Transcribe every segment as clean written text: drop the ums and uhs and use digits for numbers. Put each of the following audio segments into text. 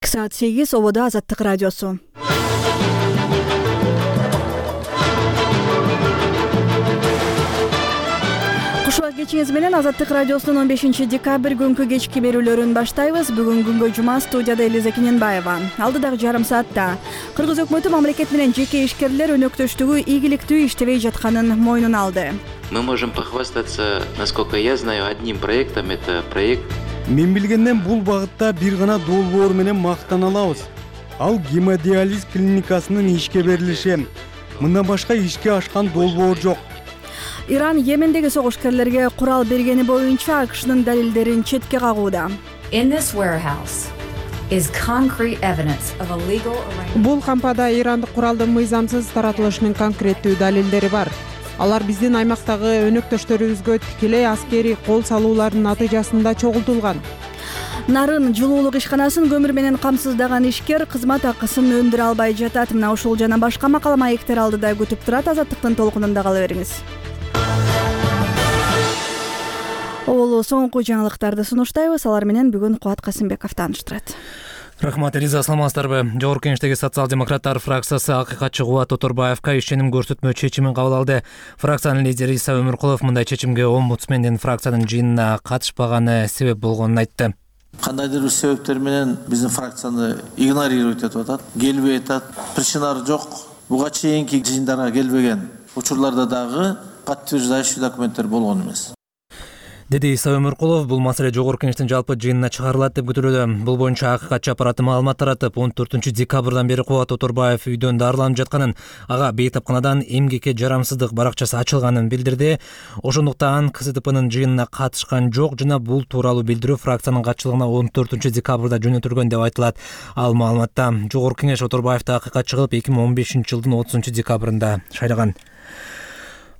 Саат 8 ободо Азаттык радиосу. Кушуак кечиңиз менен Азаттык радиосунун 15-декабрь күнкү кечки берүүлөрүн баштайбыз. Бүгүн күнгө жума, студияда Элиза Кененбаева. Алдыдагы жарым саатта Кыргыз өкмөтү мамлекет менен жеке ишкерлер өнөктөштүгү ийгиликтүү иштебей жатканын мойнуна алды. Мы можем похвастаться, насколько я знаю, одним проектом. Это проект. Мен билгенден бул багытта бир гана долбоор менен мактана алабыз. Ал гемодиализ клиникасынын ишке берилиши. Мындан башка ишке ашкан долбоор жок. Иран Йемендеги согушкерлерге курал бергени боюнча АКШнын далилдерин четке кагууда. Бул кампада ирандык куралдын мыйзамсыз таратылышынын конкреттүү далилдери бар. Алар биздин аймактагы өнөктөштөрүбүзгө тикелей аскерий кол салуулардын натыйжасында чогултулган. Нарын жылуулук ишканасын көмүр менен камсыздаган ишкер кызмат акысын өндүрө албай жатат. Мына ушул жана башка макала маектер алдыда күтүп турат. Азаттыктын толкунунда кала бериңиз. Олу соңку жаңылыктарды сунуштайбыз. Алар менен бүгүн Кубат Касымбеков тааныштырат. Рахмат, Элиза, саламатсыздарбы? Жогорку Кеңештеги социал-демократтар фракциясы акыйкатчы Кубат Оторбаевка ишеним көрсөтмө чечимин кабыл алды. Фракциянын лидери Иса Өмүркулов мындай чечимге омбудсмендин фракциянын жыйынына катышпаганы себеп болгонун айтты. Кандайдыр бир себептер менен биздин фракцияны игнорировать этип атат, келбей атат, причиналары жок. Буга чейинки жыйындарга келбеген учурларда дагы подтверждающий документтер болгон эмес. Деди Иса Өмүркулов, бул маселе Жогорку Кеңештин жалпы жыйынына чыгарылат деп күтүлүүдө. Бул боюнча акыйкатчы аппараты маалымат таратып, 14-декабрдан бери Кубат Оторбаев үйдөн дарыланып жатканын, ага бейтапканадан эмгекке жарамсыздык баракчасы ачылганын билдирди. Ошондуктан КСДПнын жыйынына катышкан жок жана бул тууралуу билдирүү фракциянын катчылыгына 14-декабрда жөнөтүлгөн деп айтылат. Ал маалыматта Жогорку Кеңеш Оторбаевди акыйкатчы кылып 2015-жылдын 30-декабрында шайлаган.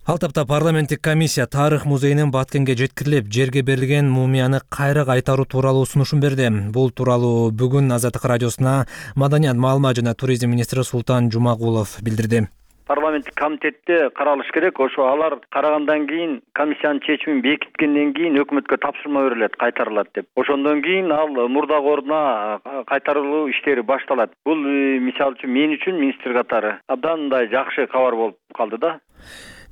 Ал тапта парламенттик комиссия тарых музейинин Баткенге жеткирилип, жерге берилген мумияны кайра кайтаруу тууралуу сунушун берди. Бул тууралуу бүгүн Азаттык радиосуна маданият, маалымат жана туризм министри Султан Жумагулов билдирди. Парламенттик комитетте каралыш керек. Ошо алар карагандан кийин комиссиянын чечимин бекиткенден кийин өкмөткө тапшырма берилет, кайтарылат деп. Ошондон кийин ал мурдагы ордуна кайтарылуу иштери башталат. Бул мисалы үчүн мен үчүн министр катары абдан мындай жакшы кабар болуп калды да.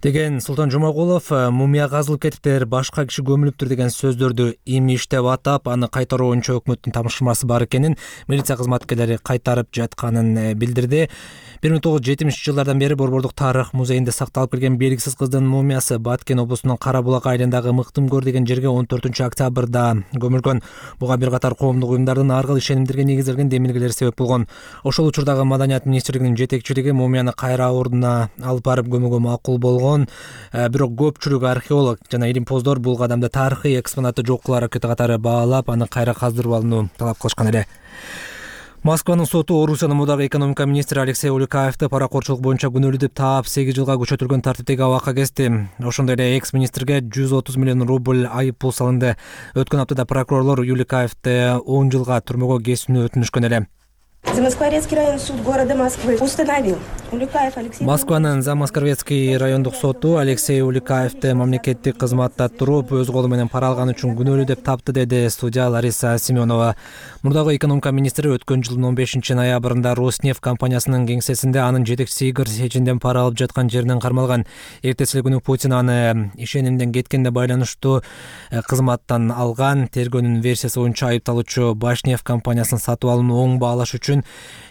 Деген Султан Жумагулов, мумия казылып кетиптир, башка киши көмүлүптүр деген сөздөрдү имиш деп атап, аны кайтаруу боюнча өкмөттүн тапшырмасы бар экенин, милиция кызматкерлери кайтарып жатканын билдирди. 1970-жылдардан бери Борбордук тарых музейинде сакталып келген белгисиз кыздын мумиясы Баткен облусунун Кара Булак айылындагы Мыктымкөр деген жерге 14-октябрда көмүлгөн. Буга бир катар коомдук уюмдардын ар кыл ишенимдерге негизделген демилгелери себеп болгон. Ошол учурдагы маданият министрлигинин жетекчилиги мумияны кайра ордуна алып барып көмүүгө макул болгон. Бирок көпчүлүк археолог жана илимпоздор бул кадамды тарыхый экспонатты жок кылуу аракети катары баалап, аны кайра каздырып алууну талап кылышкан эле. Москванын соту Орусиянын мурдагы экономика министри Алексей Уликаевди паракорчулук боюнча күнөөлүү деп таап 8 жылга күчөтүлгөн тартиптеги абакка кести. Ошондой эле экс-министрге 130 миллион рубль айып пул салынды. Өткөн аптада прокурорлор Уликаевди 10 жылга түрмөгө кесүүнү өтүнүшкөн эле. Замоскворецкий районный суд города Москвы установил Уликаев Алексей. Москванын Замоскворецкий райондук соту Алексей Уликаевди мамлекеттик кызматта туруп өз колу менен пара алган үчүн күнөөлүү деп тапты, деди судья Лариса Семенова. Мурдагы экономика министри өткөн жылдын 15-ноябрында Роснефть компаниясынын кеңсесинде анын жетекчиси Игорь Сечинден пара алып жаткан жеринен кармалган. Эртеси күнү Путин аны ишенимден кеткенде байланыштуу кызматтан алган. Тергөөнүн версиясы боюнча айыпталуучу Башнефть компаниясын сатып алууну оң баалаш үчүн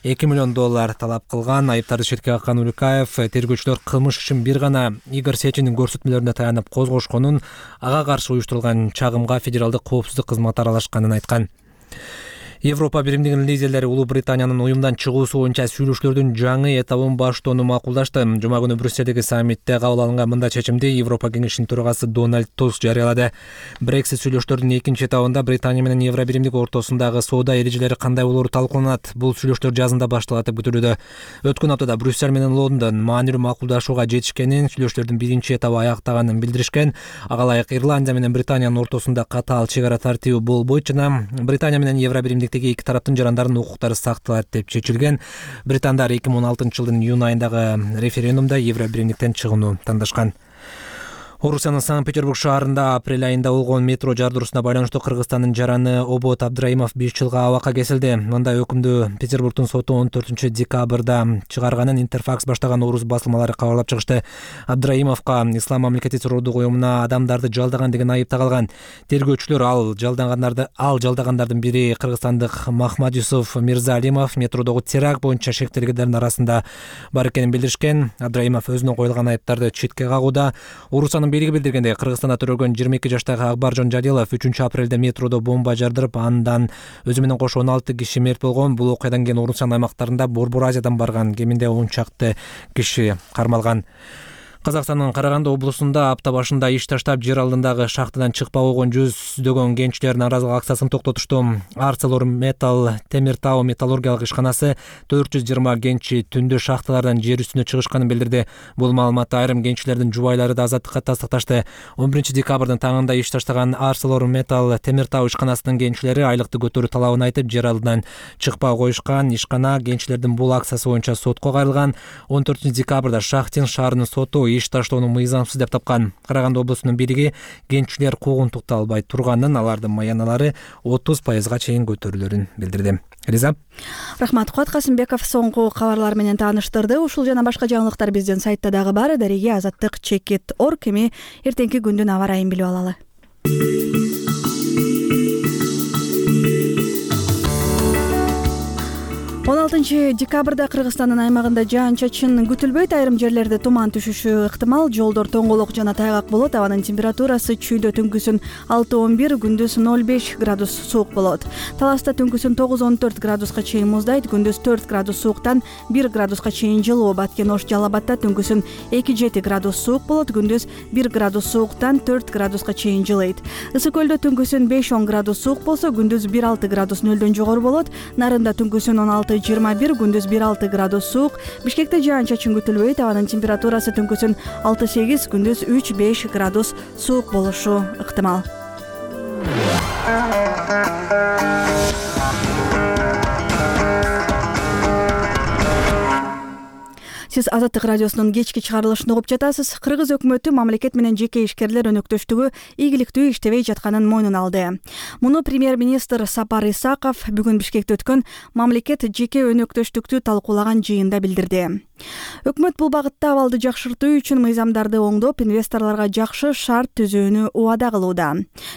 $2 миллион талап кылган. Айыптарды четке каккан Уликаев тергөөчүлөр кылмыш ишин бир гана Игорь Сечиндин көрсөтмөлөрүнө таянып козгошконун, ага каршы уюштурулган чагымга федералдык коопсуздук кызматы аралашканын айткан. Европа биримдигинин лидерлери Улуу Британиянын уюмдан чыгуусу боюнча сүйлөшүүлөрдүн жаңы этабын баштоону макулдашты. Жума күнү Брюссельдеги саммитте кабыл алынган мындай чечимди Европа кеңешинин төрагасы Дональд Туск жарыялады. Брексит сүйлөшүүлөрдүн экинчи этабында Британия менен Евро биримдиги ортосундагы соода эрежелери кандай болору талкууланат. Бул сүйлөшүүлөр жазында башталат деп күтүлүүдө. Өткөн аптада Брюссель менен Лондон маанилүү макулдашууга жетишкенин, сүйлөшүүлөрдүн биринчи этабы аяктаганын билдиришкен. Ага ылайык Ирландия менен Британиянын ортосунда катаал чек ара тартиби болбойт жана Британия менен Евро биримдик эки тараптын жарандарынын укуктары сакталат деп чечилген. Британдар 2016-жылдын июнь айындагы референдумда Евро биримдиктен чыгууну тандашкан. Орусиянын Санкт-Петербург шаарында апрель айында болгон метро жардыруусуна байланыштуу Кыргызстандын жараны Обот Абдраимов 5 жылга абакка кесилди. Мындай өкүмдү Петербургдун соту 14 декабрда чыгарганын Интерфакс баштаган орус басылмалары кабарлап чыгышты. Абдраимовго Ислам мамлекети террордук уюмуна адамдарды жалдаган деген айып тагылган. Тергөөчүлөр ал жалдагандардын бири кыргызстандык Махмад Юсуф Мирзалимов метродогу теракт боюнча шектелгендердин арасында бар экенин билдиришкен. Абдраимов өзүнө коюлган айыптарды четке кагууда. Орусиянын бийлиги билдиргендей, Кыргызстанда төрөлгөн 22 жаштагы Акбаржон Жадилов 3 апрелде метродо бомба жардырып, андан өзү менен кошо 16 киши мерт болгон. Бул окуядан кийин Орусиянын аймактарында Борбор Азиядан барган кеминде 10 чакты киши кармалган. Казакстандын Караганды облусунда апта башында иш таштап, жер алдындагы шахтадан чыкпак болгон жүздөгөн кенчилер нааразылык акциясын токтотушту. ArcelorMittal Темиртау металлургиялык ишканасы 420 кенчи түндө шахталардан жер үстүнө чыгышканын билдирди. Бул маалыматты айрым кенчилердин жубайлары да азаттыкка тастыкташты. 11 декабрдын таңында иш таштаган ArcelorMittal Темиртау ишканасынын кенчилери айлыкты көтөрүү талабын айтып, жер алдынан чыкпай коюшкан. Ишкана кенчилердин бул акциясы боюнча сотко кайрылган. 14 декабрда Шахтин шаарынын соту иш таштоону мыйзамсыз деп тапкан. Караганды облусунун бийлиги кенчилер куугунтукта албай турганын, алардын маяналары 30%га чейин көтөрүлөрүн билдирди. Риза. Рахмат. Куат Касымбеков соңку кабарлар менен тааныштырды. Ушул жана башка жаңылыктар биздин сайтта дагы бар. Дареге azаттык.org. Эми эртеңки күндүн аба ырайын билип алалы. 16 декабрда Кыргызстандын аймагында жаан-чачын күтүлбөйт, айрым жерлерде туман түшүшү ыктымал, жолдор тоңголок жана тайгак болот. Абанын температурасы чүйдө түнкүсүн 6-11, күндүз 0-5 градус суук болот. Таласта түнкүсүн 9-14 градуска чейин муздайт, күндүз 4 градус сууктан 1 градуска чейин жылуу. Баткен Ош Жалалабадта түнкүсүн 2-7 градус суук болот, күндүз 1 градус сууктан 4 градуска чейин жылыйт. Ысык көлдө түнкүсүн 5-10 градус суук болсо, күндүз 1-6 градус нөлдөн жогору болот. Нарында түнкүсүн 16-21, күндүз 1-6 градус суук. Бишкекте жаан-чачын күтүлбөйт, абанын температурасы түнкүсүн 6-8, күндүз 3-5 градус суук болушу ыктымал. Сиз Азаттык радиосунун кечки чыгарылышын угуп жатасыз. Кыргыз өкмөтү мамлекет менен жеке ишкерлер өнөктөштүгү ийгиликтүү иштебей жатканын мойнуна алды. Муну премьер-министр Сапар Исаков бүгүн Бишкекте өткөн мамлекет жеке өнөктөштүктү талкуулаган жыйында билдирди. Өкмөт бул багытта абалды жакшыртуу үчүн мыйзамдарды оңдоп, инвесторлорго жакшы шарт түзүүнү убада кылууда.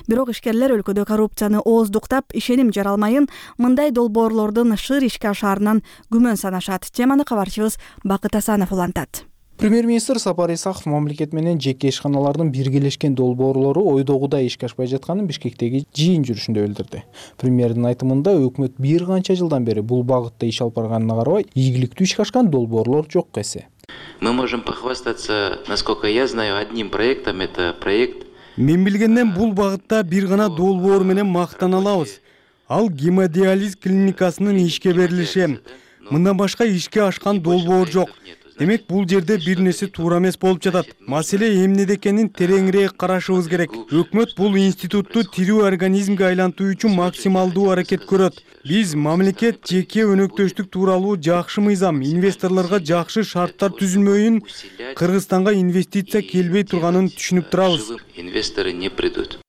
Бирок ишкерлер өлкөдө коррупцияны ооздуктап, ишеним жаралмайын, мындай долбоорлордун шыр ишке ашаарынан күмөн санашат. Теманы кабарчыбыз Бакыт Асанов улантат. Премьер-министр Сапар Исаков мамлекет менен жеке ишканалардын биргелешкен долбоорлору ойдогудай ишке ашпай жатканын Бишкектеги жыйын жүрүшүндө билдирди. Премьердин айтымында өкмөт бир канча жылдан бери бул багытта иш алып барганына карабай, ийгиликтүү ишке ашкан долбоорлор жок эсе. Мы можем похвастаться, насколько я знаю, одним проектом. Это проект. Мен билгенден бул багытта бир гана долбоор менен мактана алабыз. Ал гемодиализ клиникасынын ишке берилиши. Мындан башка ишке ашкан долбоор жок. Демек, бул жерде бир нерсе туура эмес болуп жатат. Маселе эмнеде экенин тереңирээк карашыбыз керек. Өкмөт бул институтту тирүү организмге айлантуу үчүн максималдуу аракет көрөт. Биз мамлекет жеке өнөктөштүк тууралуу жакшы мыйзам, инвесторлорго жакшы шарттар түзүлмөйүн, Кыргызстанга инвестиция келбей турганын түшүнүп турабыз. Инвесторы не придут.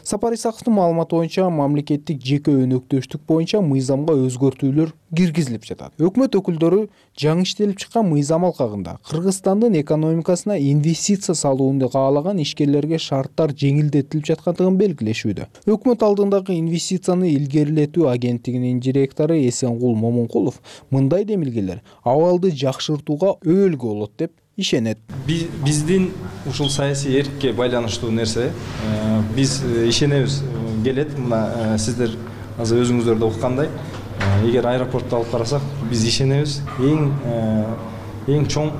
Сапар Исаковдун маалыматы боюнча, мамлекеттик жеке өнөктөштүк боюнча мыйзамга өзгөртүүлөр киргизилип жатат. Өкмөт өкүлдөрү жаңы иштелип чыккан мыйзам алкагында Кыргызстандын экономикасына инвестиция салууну каалаган ишкерлерге шарттар жеңилдетилип жаткандыгын белгилешүүдө. Өкмөт алдындагы инвестицияны илгерилетүү агенттигинин директору Эсенгул Момункулов мындай демилгелер абалды жакшыртууга өбөлгө болот деп ишенет. Биздин ушул саясий эркке байланыштуу нерсе. Биз ишенебиз келет. Мына сиздер азыр өзүңүздөр да уккандай, эгер аэропортто алып карасак, биз ишенебиз. Эң чоң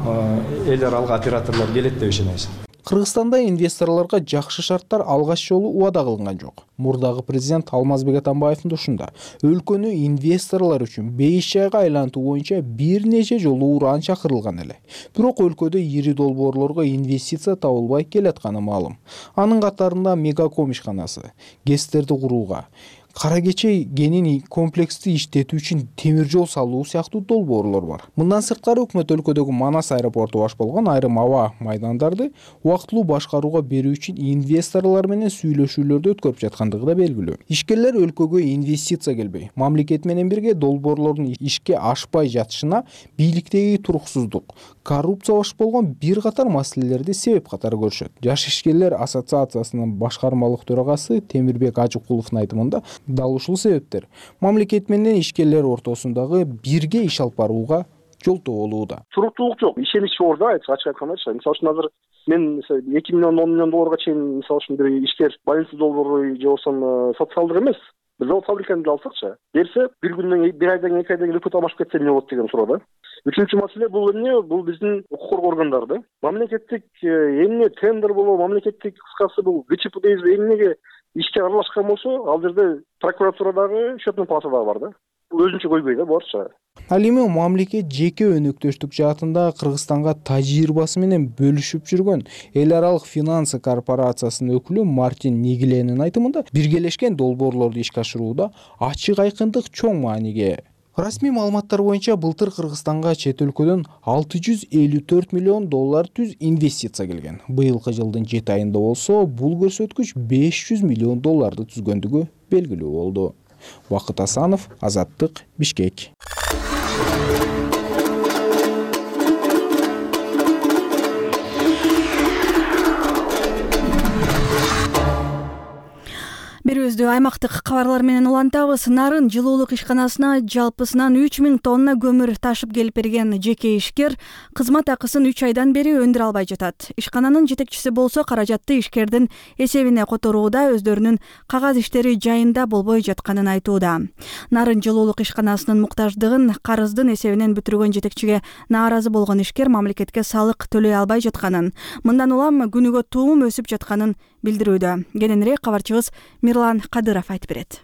эл аралык операторлор келет деп ишенебиз. Кыргызстанда инвесторлорго жакшы шарттар алгач жолу убада кылынган жок. Мурдагы президент Алмазбек Атамбаевдин ушунда өлкөнү инвесторлор үчүн бейиш жайга айлантуу боюнча бир нече жолу уран чакырылган эле. Бирок өлкөдө ири долбоорлорго инвестиция табылбай келатканы маалым. Анын катарында Мегаком ишканасы, ГЭСтерди курууга, Кара Кечей кенин комплекстүү иштетүү үчүн темир жол салуу сыяктуу долбоорлор бар. Мындан сырткары өкмөт өлкөдөгү Манас аэропорту баш болгон айрым аба майдандарды убактылуу башкарууга берүү үчүн инвесторлор менен сүйлөшүүлөрдү өткөрүп жаткандыгы да белгилүү. Ишкерлер өлкөгө инвестиция келбей, мамлекет менен бирге долбоорлордун ишке ашпай жатышына бийликтеги туруксуздук, коррупция баш болгон бир катар маселелерди себеп катары көрүшөт. Жаш ишкерлер ассоциациясынын башкармалык төрагасы Темирбек Ажыкуловдун айтымында дал ушул себептер мамлекет менен ишкерлер ортосундагы бирге иш алып барууга жолтоо болууда. Туруктуулук жок, ишенич жок да, ачык айтканда. Мисалы үчүн азыр мен 2 миллион 10 миллион долларга чейин мисалы үчүн бир ишкер больница долбоору же болбосо социалдык эмес, бир завод фабриканы алсакчы, берсе бир күндөн, бир айдан, 2 айдан кийин өкмөт алмашып кетсе эмне болот деген суроо да. Үчүнчү маселе бул эмне? Бул биздин укук коргоо органдары. Мамлекеттик эмне тендер болобу, мамлекеттик кыскасы бул ГЧП дейбиз, эмнеге ишке аралашкан болсо, ал жерде прокуратурадагы, счетный палатадагы бар да. Бул өзүнчө койбой да, барча. Ал эми мамлекет жеке өнөктөштүк жаатында Кыргызстанга тажрыйбасы менен бөлүшүп жүргөн эл аралык финансы корпорациясынын өкүлү Мартин Нигленин айтымында биргелешкен долбоорлорду ишке ашырууда ачык айкындык чоң мааниге. Расмий маалыматтар боюнча былтыр Кыргызстанга чет өлкөдөн 654 миллион доллар түз инвестиция келген. Быйылкы жылдын 7 айында болсо бул көрсөткүч 500 миллион долларды түзгөндүгү белгилүү болду. Бакыт Асанов, Азаттык, Бишкек. Берүүбүздү аймактык кабарлар менен улантабыз. Нарын жылуулук ишканасына жалпысынан 3000 тонна көмүр ташып келип берген жеке ишкер кызмат акысын 3 айдан бери өндүрө албай жатат. Ишкананын жетекчиси болсо каражатты ишкердин эсебине которууда, өздөрүнүн кагаз иштери жайында болбой жатканын айтууда. Нарын жылуулук ишканасынын муктаждыгын карыздын эсебинен бүтүргөн жетекчиге нааразы болгон ишкер мамлекетке салык төлөй албай жатканын, мындан улам күнүгө туум өсүп жатканын билдирүүдө. Кененирээк кабарчыбыз Мирлан Кадыров айтып берет.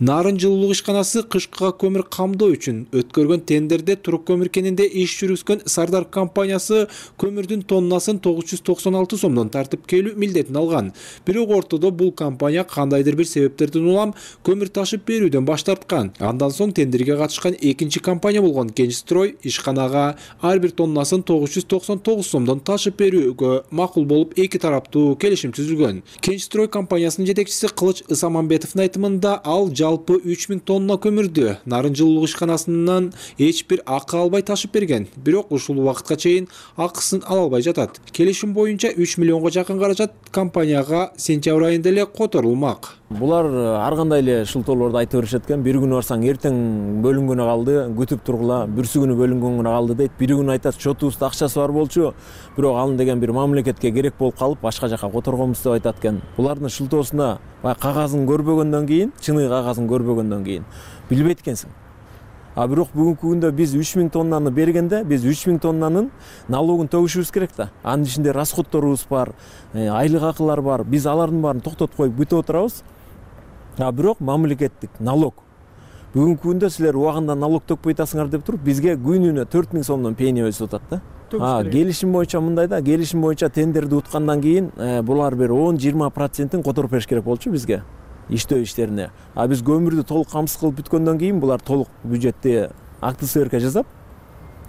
Нарын жылуулук ишканасы кышкыга көмүр камдоо үчүн өткөргөн тендерде турук көмүр кенинде иш жүргүзгөн Сардар компаниясы көмүрдүн тоннасын 996 сомдон тартып келүү милдетин алган. Бирок ортодо бул компания кандайдыр бир себептерден улам көмүр ташып берүүдөн баш тарткан. Андан соң тендерге катышкан экинчи компания болгон Кенчстрой ишканага ар бир тоннасын 999 сомдон ташып берүүгө макул болуп эки тараптуу келишим түзүлгөн. Кенчстрой компаниясынын жетекчиси Кылыч Ысаманбетовдун айтымында ал жалпы 3000 тонна көмүрдү Нарын жылуулук ишканасынан эч бир акы албай ташып берген. Бирок ушул убакытка чейин акысын ала албай жатат. Келишим боюнча 3 миллионго жакын каражат компанияга сентябрь айында эле которулмак. Булар ар кандай эле шылтоолорду айтып беришет экен. Бир күнү барсаң эртең бөлүнгөнү калды, күтүп тургула, бүрсү күнү бөлүнгөнү калды дейт. Бир күнү айтат счетубузда акчасы бар болчу, бирок аны деген бир мамлекетке керек болуп калып, башка жака которгонбуз деп айтат экен. Булардын шылтоосуна кагазын көрбөгөндөн кийин, чыныгы кагазын көрбөгөндөн кийин билбейт экенсиң. А бирок бүгүнкү күндө биз 3000 тоннаны бергенде, биз 3000 тоннанын налогун төгүшүбүз керек да. Анын ичинде расходторубуз бар, айлык акылар бар. Биз алардын баарын токтотуп коюп бүтүп отурабыз. А бирок мамлекеттик налог. Бүгүнкү күндө силер убагында налог төкпөй атасыңар деп туруп, бизге күнүнө 4000 сомдон пени өсүп атат да. Келишим боюнча мындай да, келишим боюнча тендерди уткандан кийин булар бир 10-20% которуп бериш керек болчу бизге иштөө иштерине. А биз көмүрдү толук камсыз кылып бүткөндөн кийин булар толук бюджетте акты сверка жасап,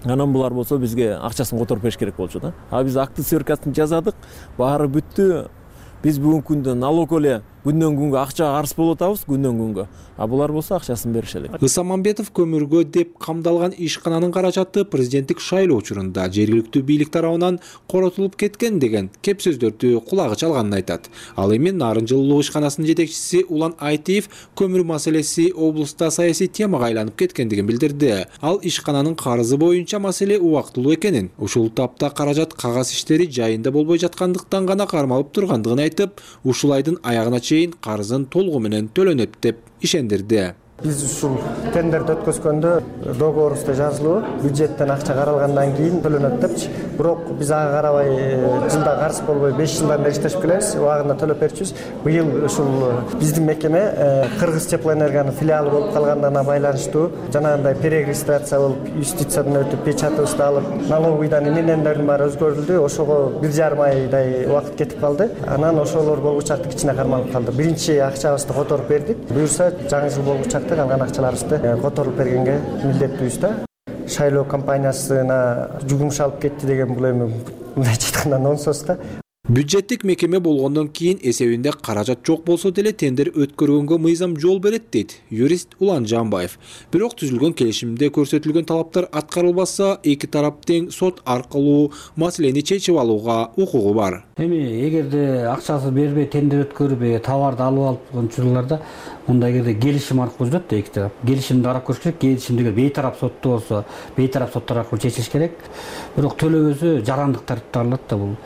анан булар болсо бизге акчасын которуп бериш керек болчу да. А биз акты сверкасын жасадык, баары бүттү. Биз бүгүнкү күндө налог эле күндөн күнгө акчага арыз болуп атабыз, күндөн күнгө. А булар болсо акчасын берише элек. Ысаманбетов көмүргө деп камдалган ишкананын каражаты президенттик шайлоо учурунда жергиликтүү бийлик тарабынан коротулуп кеткен деген кеп сөздөрдү кулагы чалганын айтат. Ал эми Нарын жылуулук ишканасынын жетекчиси Улан Айтиев көмүр маселеси облуста саясий темага айланып кеткендигин билдирди. Ал ишкананын карызы боюнча маселе убактылуу экенин, ушул тапта каражат кагаз иштери жайында болбой жаткандыктан гана кармалып тургандыгын айтып, ушул айдын аягына чейин карызын толугу менен төлөнөт деп ишендирди. Биз ушул тендерди өткөзгөндө договорубузда жазылуу бюджеттен акча каралгандан кийин төлөнөт депчи. Бирок биз ага карабай жылда карыз болбой 5 жылдан бери иштешип келебиз. Убагында төлөп берчүбүз. Быйыл ушул биздин мекеме Кыргыз теплоэнергиянын филиалы болуп калганына байланыштуу жанагындай перерегистрация болуп, юстициядан өтүп, печатыбызды алып, налоговыйдан эмнелердин баары өзгөрүлдү. Ошого 1,5 айдай убакыт кетип калды. Анан ошолор болгучакты кичине кармалып калды. Биринчи акчабызды которуп бердик. Буюрса жаңы жыл болгучакты калган акчаларыбызды которуп бергенге милдеттүүбүз да. Шайлоо компаниясына жугумшалып кетти деген бул эми мындай айтканда нонсос да. Бюджеттик мекеме болгондон кийин эсебинде каражат жок болсо деле тендер өткөргөнгө мыйзам жол берет дейт юрист Улан Жамбаев. Бирок түзүлгөн келишимде көрсөтүлгөн талаптар аткарылбаса, эки тарап тең сот аркылуу маселени чечип алууга укугу бар. Эми эгерде акчасы бербей тендер өткөрбөй товарды алып алып учурларда мындай жерде келишим аркылуу жүрөт да эки тарап. Келишимди карап көрүш керек. Келишимдеги бейтарап сотту болсо, бейтарап соттор аркылуу чечилиш керек. Бирок төлөбөсө жарандык тартипте алынат да бул.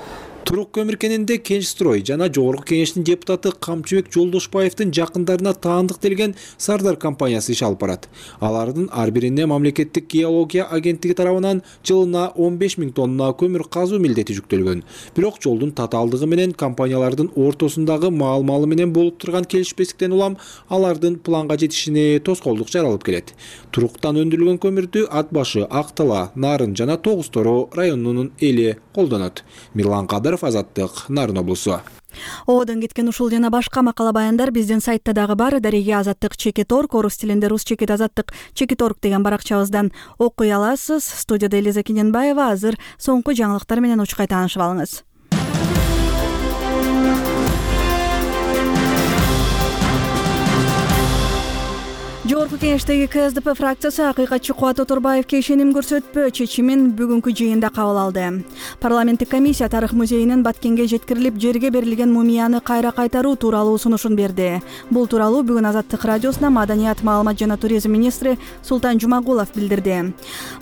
Турук көмүркенинде Кенчстрой жана Жогорку Кеңештин депутаты Камчыбек Жолдошбаевдин жакындарына таандык делген Сардар компаниясы иш алып барат. Алардын ар бирине мамлекеттик геология агенттиги тарабынан жылына 15 000 тонна көмүр казуу милдети жүктөлгөн. Бирок жолдун татаалдыгы менен компаниялардын ортосундагы маал-маалы менен болуп турган келишпестиктен улам алардын планга жетишине тоскоолдук жаралып келет. Туруктан өндүрүлгөн көмүрдү Ат башы, Актала, Нарын жана Тогуз-Тороо районунун эли колдонот. Мирлан Кадыров, Азаттык, Нарын облусу. Одон кеткен ушул жана башка макала баяндар биздин сайтта дагы бар. Дареги Азаттык /Орг, орус тилинде /Азаттык /Орг деген баракчабыздан окуй аласыз. Студияда Элиза Кененбаева. Азыр соңку жаңылыктар менен учкай таанышып алыңыз. Жогорку Кеңештеги КСДП фракциясы акыйкатчы Кубат Оторбаевке ишеним көрсөтпөө чечимин бүгүнкү жыйында кабыл алды. Парламенттик комиссия Тарых музейинин Баткенге жеткирилип жерге берилген мумияны кайра кайтаруу тууралуу сунушун берди. Бул тууралуу бүгүн Азаттык радиосуна Маданият, маалымат жана туризм министри Султан Жумагулов билдирди.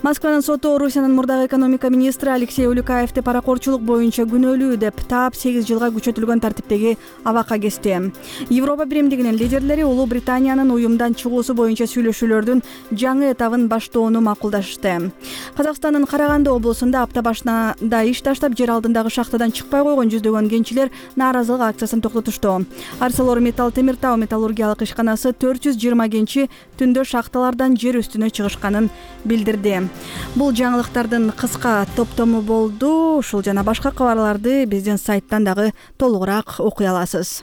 Москванын соту Орусиянын мурдагы экономика министри Алексей Улюкаевди паракорчулук боюнча күнөөлүү деп таап 8 жылга күчөтүлгөн тартиптеги абакка кести. Европа биримдигинин лидерлери Улуу Британиянын уюмдан чыгуусу боюнча сүйлөшүүлөрдүн жаңы этабын баштоону макулдашты. Казакстандын Караганды облусунда апта башында иш таштап жер алдындагы шахтадан чыкпай койгон жүздөгөн кенчилер нааразылык акциясын токтотушту. ArcelorMittal Темир тау металлургиялык ишканасы 420 кенчи түндө шахталардан жер үстүнө чыгышканын билдирди. Бул жаңылыктардын кыска топтому болду. Ушул жана башка кабарларды биздин сайттан дагы толугураак окуй аласыз.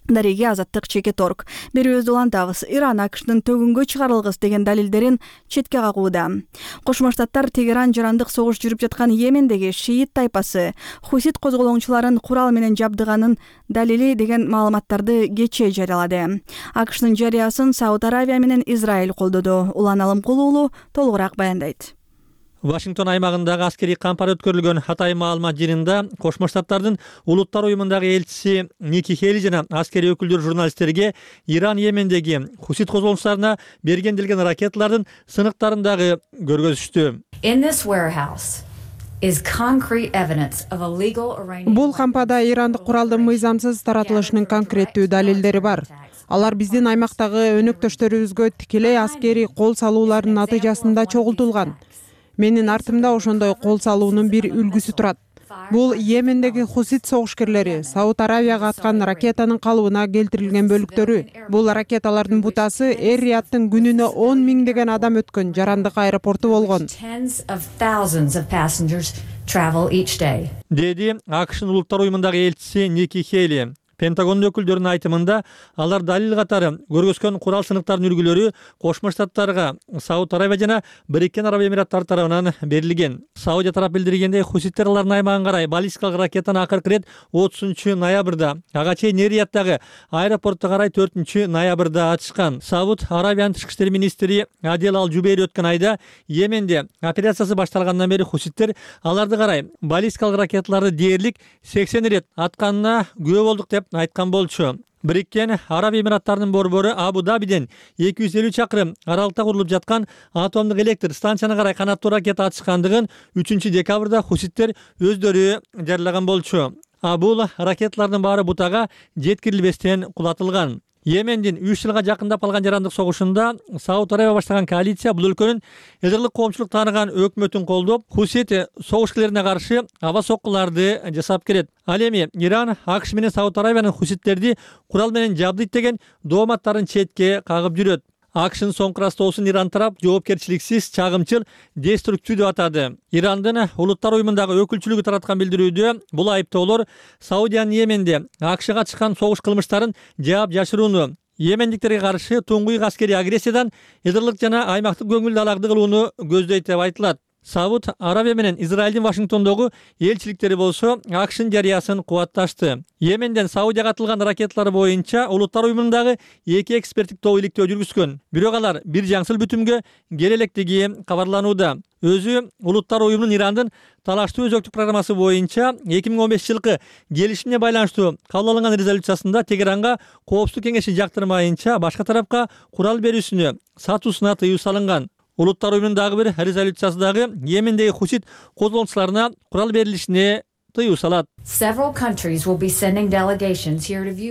Дареги Азаттык /Орг. Берүүбүздү улантабыз. Иран АКШнын төгүнгө чыгарылгыс деген далилдерин четке кагууда. Кошмо Штаттар Тегеран жарандык согуш жүрүп жаткан Йемендеги шиит тайпасы Хусит козголоңчуларын курал менен жабдыганын далили деген маалыматтарды кечээ жарыялады. АКШнын жарыясын Сауд Аравия менен Израиль колдоду. Улан Алымкулуу уулу толугураак баяндайт. Вашингтон аймагындагы аскерий кампар өткөрүлгөн Хатай маалымат жыйынында Кошмо Штаттардын Улуттар уюмундагы элчиси Ники Хейли жана аскерий өкүлдөр журналисттерге Иран Йемендеги Хусит козголоңчуларына берген делген ракеталардын сыныктарын көргөзүштү. Бул кампада ирандык куралдын мыйзамсыз таратылышынын конкреттүү далилдери бар. Алар биздин аймактагы өнөктөштөрүбүзгө тикелей аскерий кол салуулардын натыйжасында чогултулган. Менин артымда ошондой кол салуунун бир үлгүсү турат. Бул Йемендеги Хусит согушкерлери Сауд Аравияга аткан ракетанын калыбына келтирилген бөлүктөрү. Бул ракеталардын бутасы Эр-Рияттын күнүнө 10 миңдеген адам өткөн жарандык аэропорту болгон. Деди АКШнын Улуттар уюмундагы элчиси Ники Хейли. Пентагондун өкүлдөрүнүн айтымында алар далил катары көргөзгөн курал сыныктардын үлгүлөрү Кошмо Штаттарга Сауд Аравия жана Бириккен Араб Эмираттары тарабынан берилген. Саудия тарап билдиргендей, хуситтер алардын аймагын карай баллистикалык ракетаны акыркы ирет 30-ноябрда, ага чейин Эр-Рияттагы аэропортто карай 4-ноябрда ачышкан. Сауд Аравиянын тышкы иштер министри Адел Ал-Жубейри өткөн айда Йеменде операциясы башталгандан бери хуситтер аларды карай баллистикалык ракеталарды дээрлик 80 ирет атканына күбө болдук деп айткан болчу. Бириккен Араб Эмираттарынын борбору Абу-Дабиден 250 чакырым аралыкта курулуп жаткан атомдук электр станцияны карай канаттуу ракета атышкандыгын 3-декабрда хуситтер өздөрү жарыялаган болчу. Бул ракеталардын баары бутага жеткирилбестен кулатылган. Йемендин 3 жылга жакындап калган жарандык согушунда Сауд Арабия баштаган коалиция бул өлкөнүн эдерлик коомчулук тааныган өкмөтүн колдоп, Хусит согушкерлерине каршы аба соккуларды жасап келет. Ал эми Иран АКШ менен Сауд Арабиянын хуситтерди курал менен жабдыйт деген дооматтарын четке кагып жүрөт. АКШнын соңку ырастоосун Иран тарап жоопкерчиликсиз, чагымчыл, деструктив деп атады. Ирандын улуттар уюмундагы өкүлчүлүгү тараткан билдирүүдө бул айыптоолор Саудиянын Йеменде АКШга чыккан согуш кылмыштарын жаап жашырууну, йемендиктерге каршы туңгуюк аскерий агрессиядан эдерлик жана аймактык көңүл далагды кылууну көздөйт деп айтылат. Сауд Арабия менен Израилдин Вашингтондогу элчиликтери болсо АКШнын жарыясын кубатташты. Йеменден Саудияга атылган ракеталар боюнча улуттар уюмундагы 2 эксперттик топ иликтөө жүргүзгөн. Бирок алар бир жаңсыл бүтүмгө келе электиги кабарланууда. Өзү улуттар уюмунун Ирандын талаштуу өзөктүк программасы боюнча 2015 жылкы келишимге байланыштуу кабыл алынган резолюциясында Тегеранга Коопсуздук кеңеши жактырмайынча башка тарапка курал берүүсүнө, сатуусуна тыюу салынган. Улуттар уюмунун дагы бир резолюциясы дагы Йемендеги хусит козголончуларына курал берилишине тыюу салат.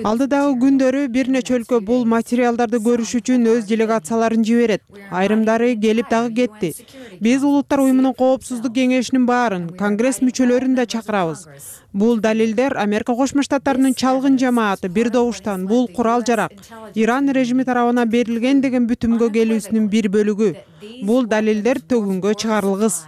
Алдыдагы күндөрү бир нече өлкө бул материалдарды көрүш үчүн өз делегацияларын жиберет. Айрымдары келип дагы кетти. Биз улуттар уюмунун коопсуздук кеңешинин баарын, конгресс мүчөлөрүн да чакырабыз. Бул далилдер Америка Кошмо Штаттарынын чалгын жамааты бир добуштан бул курал жарак Иран режими тарабынан берилген деген бүтүмгө келүүсүнүн бир бөлүгү. Бул далилдер төгүнгө чыгарылгыс.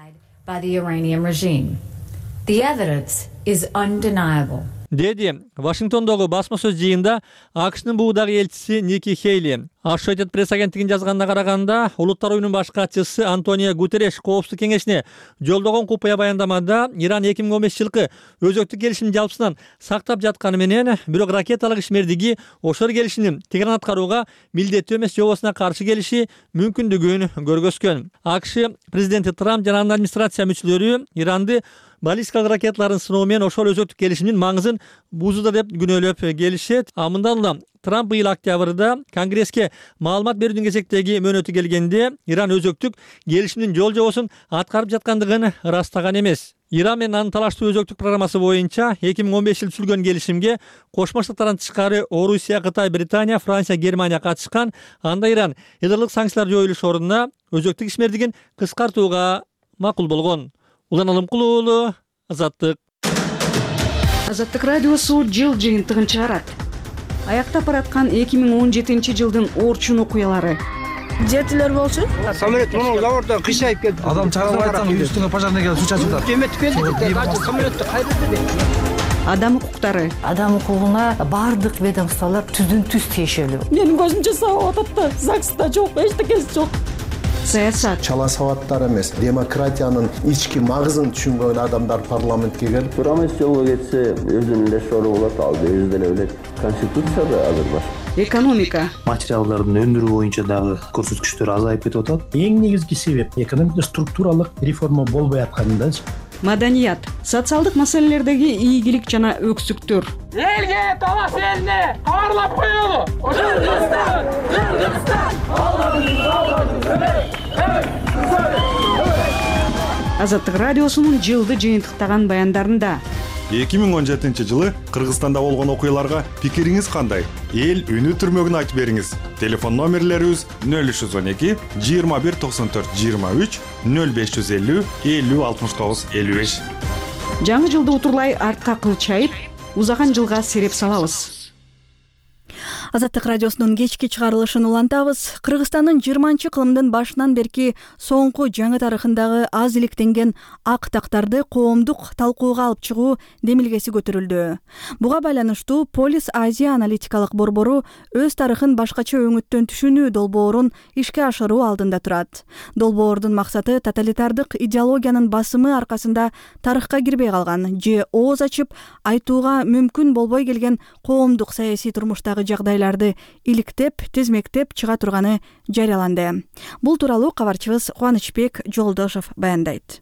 Деди Вашингтондогу басма сөз жыйында АКШнын буудагы элчиси Ники Хейли. Associated Press агенттигинин жазганына караганда, улуттар уюмунун баш катчысы Антонио Гутерреш Коопсуздук кеңешине жолдогон купуя баяндамада Иран 2015 жылкы өзөктүк келишимдин жалпысынан сактап жатканы менен, бирок ракеталык ишмердиги ошол келишимдин Тегеран аткарууга милдеттүү эмес жобосуна каршы келиши мүмкүндүгүн көргөзгөн. АКШ президенти Трамп жана анын администрация мүчөлөрү Иранды баллистикалык ракеталарын сыноо менен ошол өзөктүк келишимдин маңызын бузууда деп күнөөлөп келишет. Мындан улам Трамп быйыл октябрда Конгресске маалымат берүүдүн кезектеги мөөнөтү келгенде Иран өзөктүк келишимдин жол жобосун аткарып жаткандыгын ырастаган эмес. Иран менен анын талаштуу өзөктүк программасы боюнча 2015 жылы түзүлгөн келишимге Кошмо Штаттардан тышкары Орусия, Кытай, Британия, Франция, Германия катышкан. Анда Иран эдерлик санкциялар жоюлуш ордуна өзөктүк ишмердигин кыскартууга макул болгон. Улан Алымкулуу уулу, Азаттык. Азаттык радиосу жыл жыйынтыгын чыгарат. Аяктап бараткан 2017 жылдын Орчун окуялары. Жетилер болчу. Самолет муну заводдон кыйшайып келди. Адам чагылып айтсаң, үстүңө пожарный келип суу чачып жатат. Жемет келди, самолетту кайдырды. Адам укуктары. Адам укугуна бардык ведомстволор түздөн түз тиешелүү. Менин көзүмчө сабап атат да, ЗАГСта жок, эчтекеси жок. Саясат. Чала сабаттар эмес, демократиянын ички магызын түшүнгөн адамдар парламентке келип, Турамес жолго кетсе, өзүнүн эле сору болот, ал өзү деле билет. Конституцияда азыр бар. Экономика. Материалдардын өндүрүү боюнча дагы көрсөткүчтөр азайып кетип атат. Эң негизги себеп экономикада структуралык реформа болбой аткандачы. Маданият. Социалдык маселелердеги ийгилик жана өксүктөр. Элге талаш элине кабарлап коелу. Кыргызстан, Азаттык радиосунун жылды жыйынтыктаган баяндарында 2017 жылы Кыргызстанда болгон окуяларга пикириңиз кандай? Эл үнү түрмөгүн айтып бериңиз. Телефон номерлерибиз 0312 21 94 23 0550 50 69 55. Жаңы жылды утурлай артка кылчайып, узаган жылга сереп салабыз. Азаттык радиосунун кечки чыгарылышын улантабыз. Кыргызстандын 20-кылымдын башынан берки соңку жаңы тарыхындагы аз иликтенген ак тактарды коомдук талкууга алып чыгуу демилгеси көтөрүлдү. Буга байланыштуу Полис Азия аналитикалык борбору өз тарыхын башкача өңүттөн түшүнүү долбоорун ишке ашыруу алдында турат. Долбоордун максаты тоталитардык идеологиянын басымы аркасында тарыхка кирбей калган же ооз ачып айтууга мүмкүн болбой келген коомдук саясий турмуштагы жагдайларды иликтеп, тизмектеп чыга турганы жарыяланды. Бул тууралуу кабарчыбыз Кубанычбек Жолдошов баяндайт.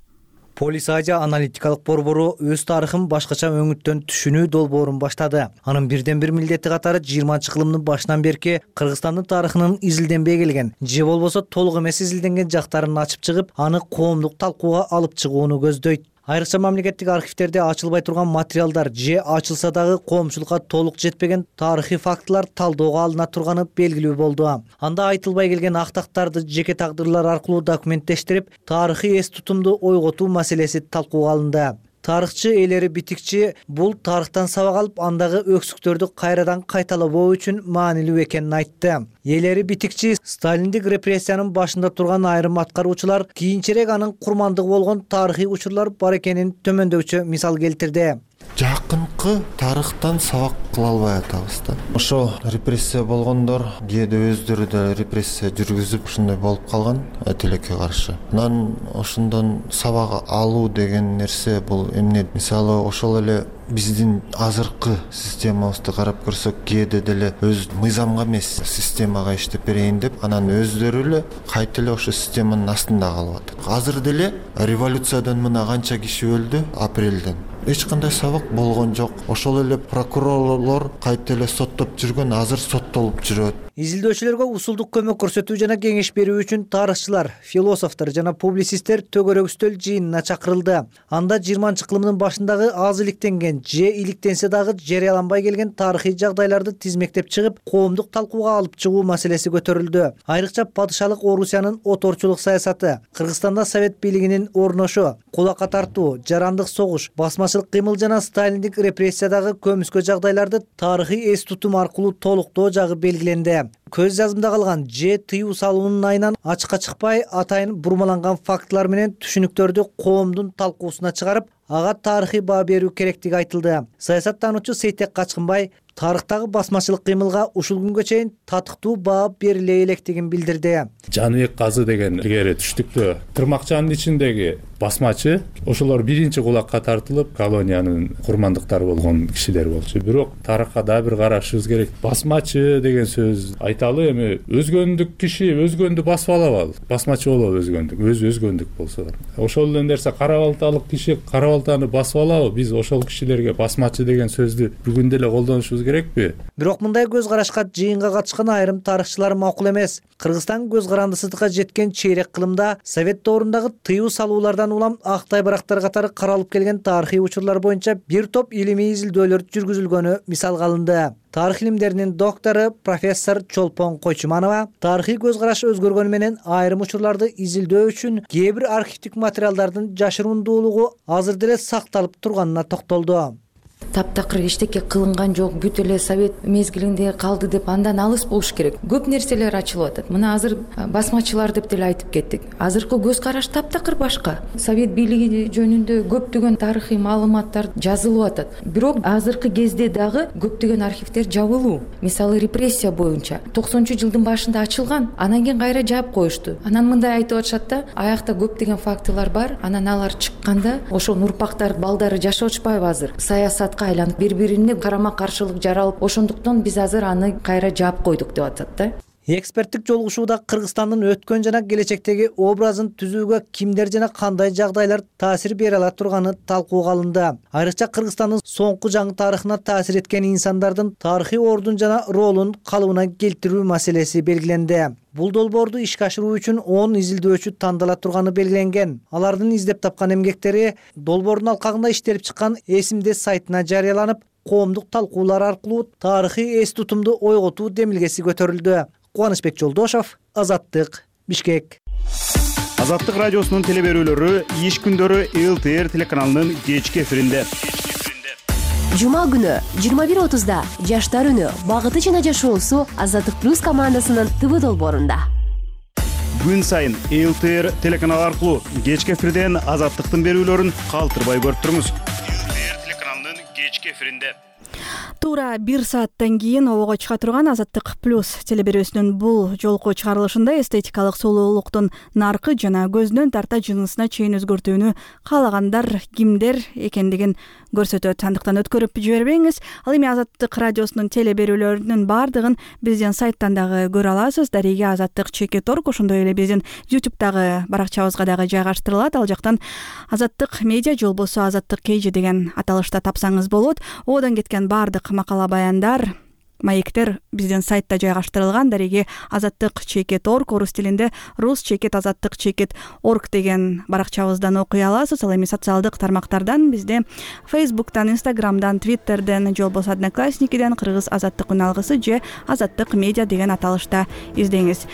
Полис Азия аналитикалык борбору өз тарыхын башкача өңүттөн түшүнүү долбоорун баштады. Анын бирден бир милдети катары 20-кылымдын башынан берки Кыргызстандын тарыхынын изилденбей келген, же болбосо толук эмес изилденген жактарын ачып чыгып, аны коомдук талкууга алып чыгууну көздөйт. Айрыкча мамлекеттик архивтерде ачылбай турган материалдар же ачылса дагы коомчулукка толук жетпеген тарыхый фактылар талоого алына турганы белгилүү болду. Анда айтылбай келген актактарды жеке тагдырлар аркылуу документтештирип, тарыхый эс тутумду ойготуу маселеси талкууга алынды. Тарыхчы Элери Битикчи бул тарыхтан сабак алып, андагы өксүктөрдү кайрадан кайталабоо үчүн маанилүү экенин айтты. Элери Битикчи сталиндик репрессиянын башында турган айрым аткаруучулар кийинчерээк анын курмандыгы болгон тарыхый учурлар бар экенин төмөндөчү мисал келтирди. Жакынкы тарыхтан сабак кыла албай атабыз да. Ошо репрессия болгондор кээде өздөрү да репрессия жүргүзүп ушундай болуп калган тилекке каршы. Анан ошондон сабак алуу деген нерсе бул эмне? Мисалы ошол эле биздин азыркы системабызды карап көрсөк, кээде деле өз мыйзамга эмес системага иштеп берейин деп, анан өздөрү эле кайта эле ошо системанын астында калып атат. Азыр деле революциядан мына канча киши өлдү апрелден. Эч кандай сабак болгон жок. Ошол эле прокурорлор кайта эле соттоп жүргөн, азыр соттолуп жүрөт. Изилдөөчүлөргө усулдук көмөк көрсөтүү жана кеңеш берүү үчүн тарыхчылар, философтор жана публицисттер төгөрөк үстөл жыйынына чакырылды. Анда 20-кылымдын башындагы аз иликтенген же иликтенсе дагы жарыяланбай келген тарыхый жагдайларды тизмектеп чыгып, коомдук талкууга алып чыгуу маселеси көтөрүлдү. Айрыкча падышалык Орусиянын оторчулук саясаты, Кыргызстанда совет бийлигинин орношу, кулакка тартуу, жарандык согуш, басмачылык кыймыл жана сталиндик репрессиядагы көмүскө жагдайларды тарыхый эс тутум аркылуу толуктоо жагы белгиленди. Көз жазымда калган же тыюу салуунун айынан ачыкка чыкпай, атайын бурмаланган фактылар менен түшүнүктөрдү коомдун талкуусуна чыгарып, ага тарыхый баа берүү керектиги айтылды. Саясаттануучу Сейтек Качкынбай тарыхтагы басмачылык кыймылга ушул күнгө чейин татыктуу баа бериле электигин билдирди. Жаныбек Казы деген илгери түштүктө тырмакчанын ичиндеги басмачы, ошолор биринчи кулакка тартылып, колониянын курмандыктары болгон кишилер болчу. Бирок тарыхка да бир карашыбыз керек. Басмачы деген сөз айталы, эми өзгөндүк киши өзгөндү басып алабы? Басмачы болобу өзгөндүк? Өзү өзгөндүк болсо. Ошол эле нерсе кара балталык киши кара балтаны басып алабы? Биз ошол кишилерге басмачы деген сөздү бүгүн деле колдонушубуз керекпи? Бирок мындай көз карашка жыйынга катышкан айрым тарыхчылар макул эмес. Кыргызстан көз карандысыздыкка жеткен чейрек кылымда совет доорундагы тыюу салуулардан улам актай барактар катары каралып келген тарыхый учурлар боюнча бир топ илимий изилдөөлөр жүргүзүлгөнү мисалга алынды. Тарых илимдеринин доктору профессор Чолпон Койчуманова тарыхый көз караш өзгөргөнү менен айрым учурларды изилдөө үчүн кээ бир архивдик материалдардын жашырундуулугу азыр деле сакталып турганына токтолду. Таптакыр эчтеке кылынган жок, бүт эле совет мезгилинде калды деп андан алыс болуш керек. Көп нерселер ачылып атат. Мына азыр басмачылар деп деле айтып кеттик. Азыркы көз караш таптакыр башка. Совет бийлиги жөнүндө көптөгөн тарыхый маалыматтар жазылып атат. Бирок азыркы кезде дагы көптөгөн архивдер жабылуу. Мисалы репрессия боюнча 90-жылдын башында ачылган, анан кийин кайра жаап коюшту. Анан мындай айтып атышат да, аякта көптөгөн фактылар бар. Анан алар чыкканда ошо урпактар, балдары жашап атышпайбы азыр? Саясат айланып бири-бирине карама каршылык жаралып, ошондуктан биз азыр аны кайра жаап койдук деп атат да. Эксперттик жолугушууда Кыргызстандын өткөн жана келечектеги образын түзүүгө кимдер жана кандай жагдайлар таасир бере ала турганы талкууга алынды. Айрыкча Кыргызстандын соңку жаңы тарыхына таасир эткен инсандардын тарыхый ордун жана ролун калыбына келтирүү маселеси белгиленди. Бул долбоорду ишке ашыруу үчүн 10 изилдөөчү тандала турганы белгиленген. Алардын издеп тапкан эмгектери долбоордун алкагында иштелип чыккан эсимде сайтына жарыяланып, коомдук талкуулар аркылуу тарыхый эс тутумду ойготуу демилгеси көтөрүлдү. Кубанычбек Жолдошов, Азаттык, Бишкек. Азаттык радиосунун телеберүүлөрү иш күндөрү ЛТР телеканалынын кечки эфиринде. Жума күнү 21:30да Жаштар үнү, багыты жана жашоосу Азаттык плюс командасынын ТВ долбоорунда. Күн сайын ЛТР телеканалы аркылуу кечки эфирден Азаттыктын берүүлөрүн калтырбай көрүп туруңуз. ЛТР телеканалынын кечки эфиринде. Туура 1 сааттан кийин обого чыга турган Азаттык плюс телеберүүсүнүн бул жолку чыгарылышында эстетикалык сулуулуктун наркы жана көздөн тарта жынысына чейин өзгөртүүнү каалагандар кимдер экендигин көрсөтөт. Андыктан өткөрүп жибербеңиз. Ал эми Азаттык радиосунун телеберүүлөрүнүн баардыгын биздин сайттан дагы көрө аласыз. Дареге Азаттык ЧК.орг, ошондой эле биздин YouTube'дагы баракчабызга дагы жайгаштырылат. Ал жактан Азаттык медиа же болбосо Азаттык KG деген аталышта тапсаңыз болот. Одан кеткен баардык макала баяндар маектер биздин сайтта жайгаштырылган. Дареги azattik.org, орус тилинде rus.azattik.org деген баракчабыздан окуй аласыз. Ал эми социалдык тармактардан бизде Facebook'тан, Instagram'дан, Twitter'ден, же болбосо Одноклассникиден Кыргыз Азаттык үналгысы же Азаттык медиа деген аталышта издеңиз.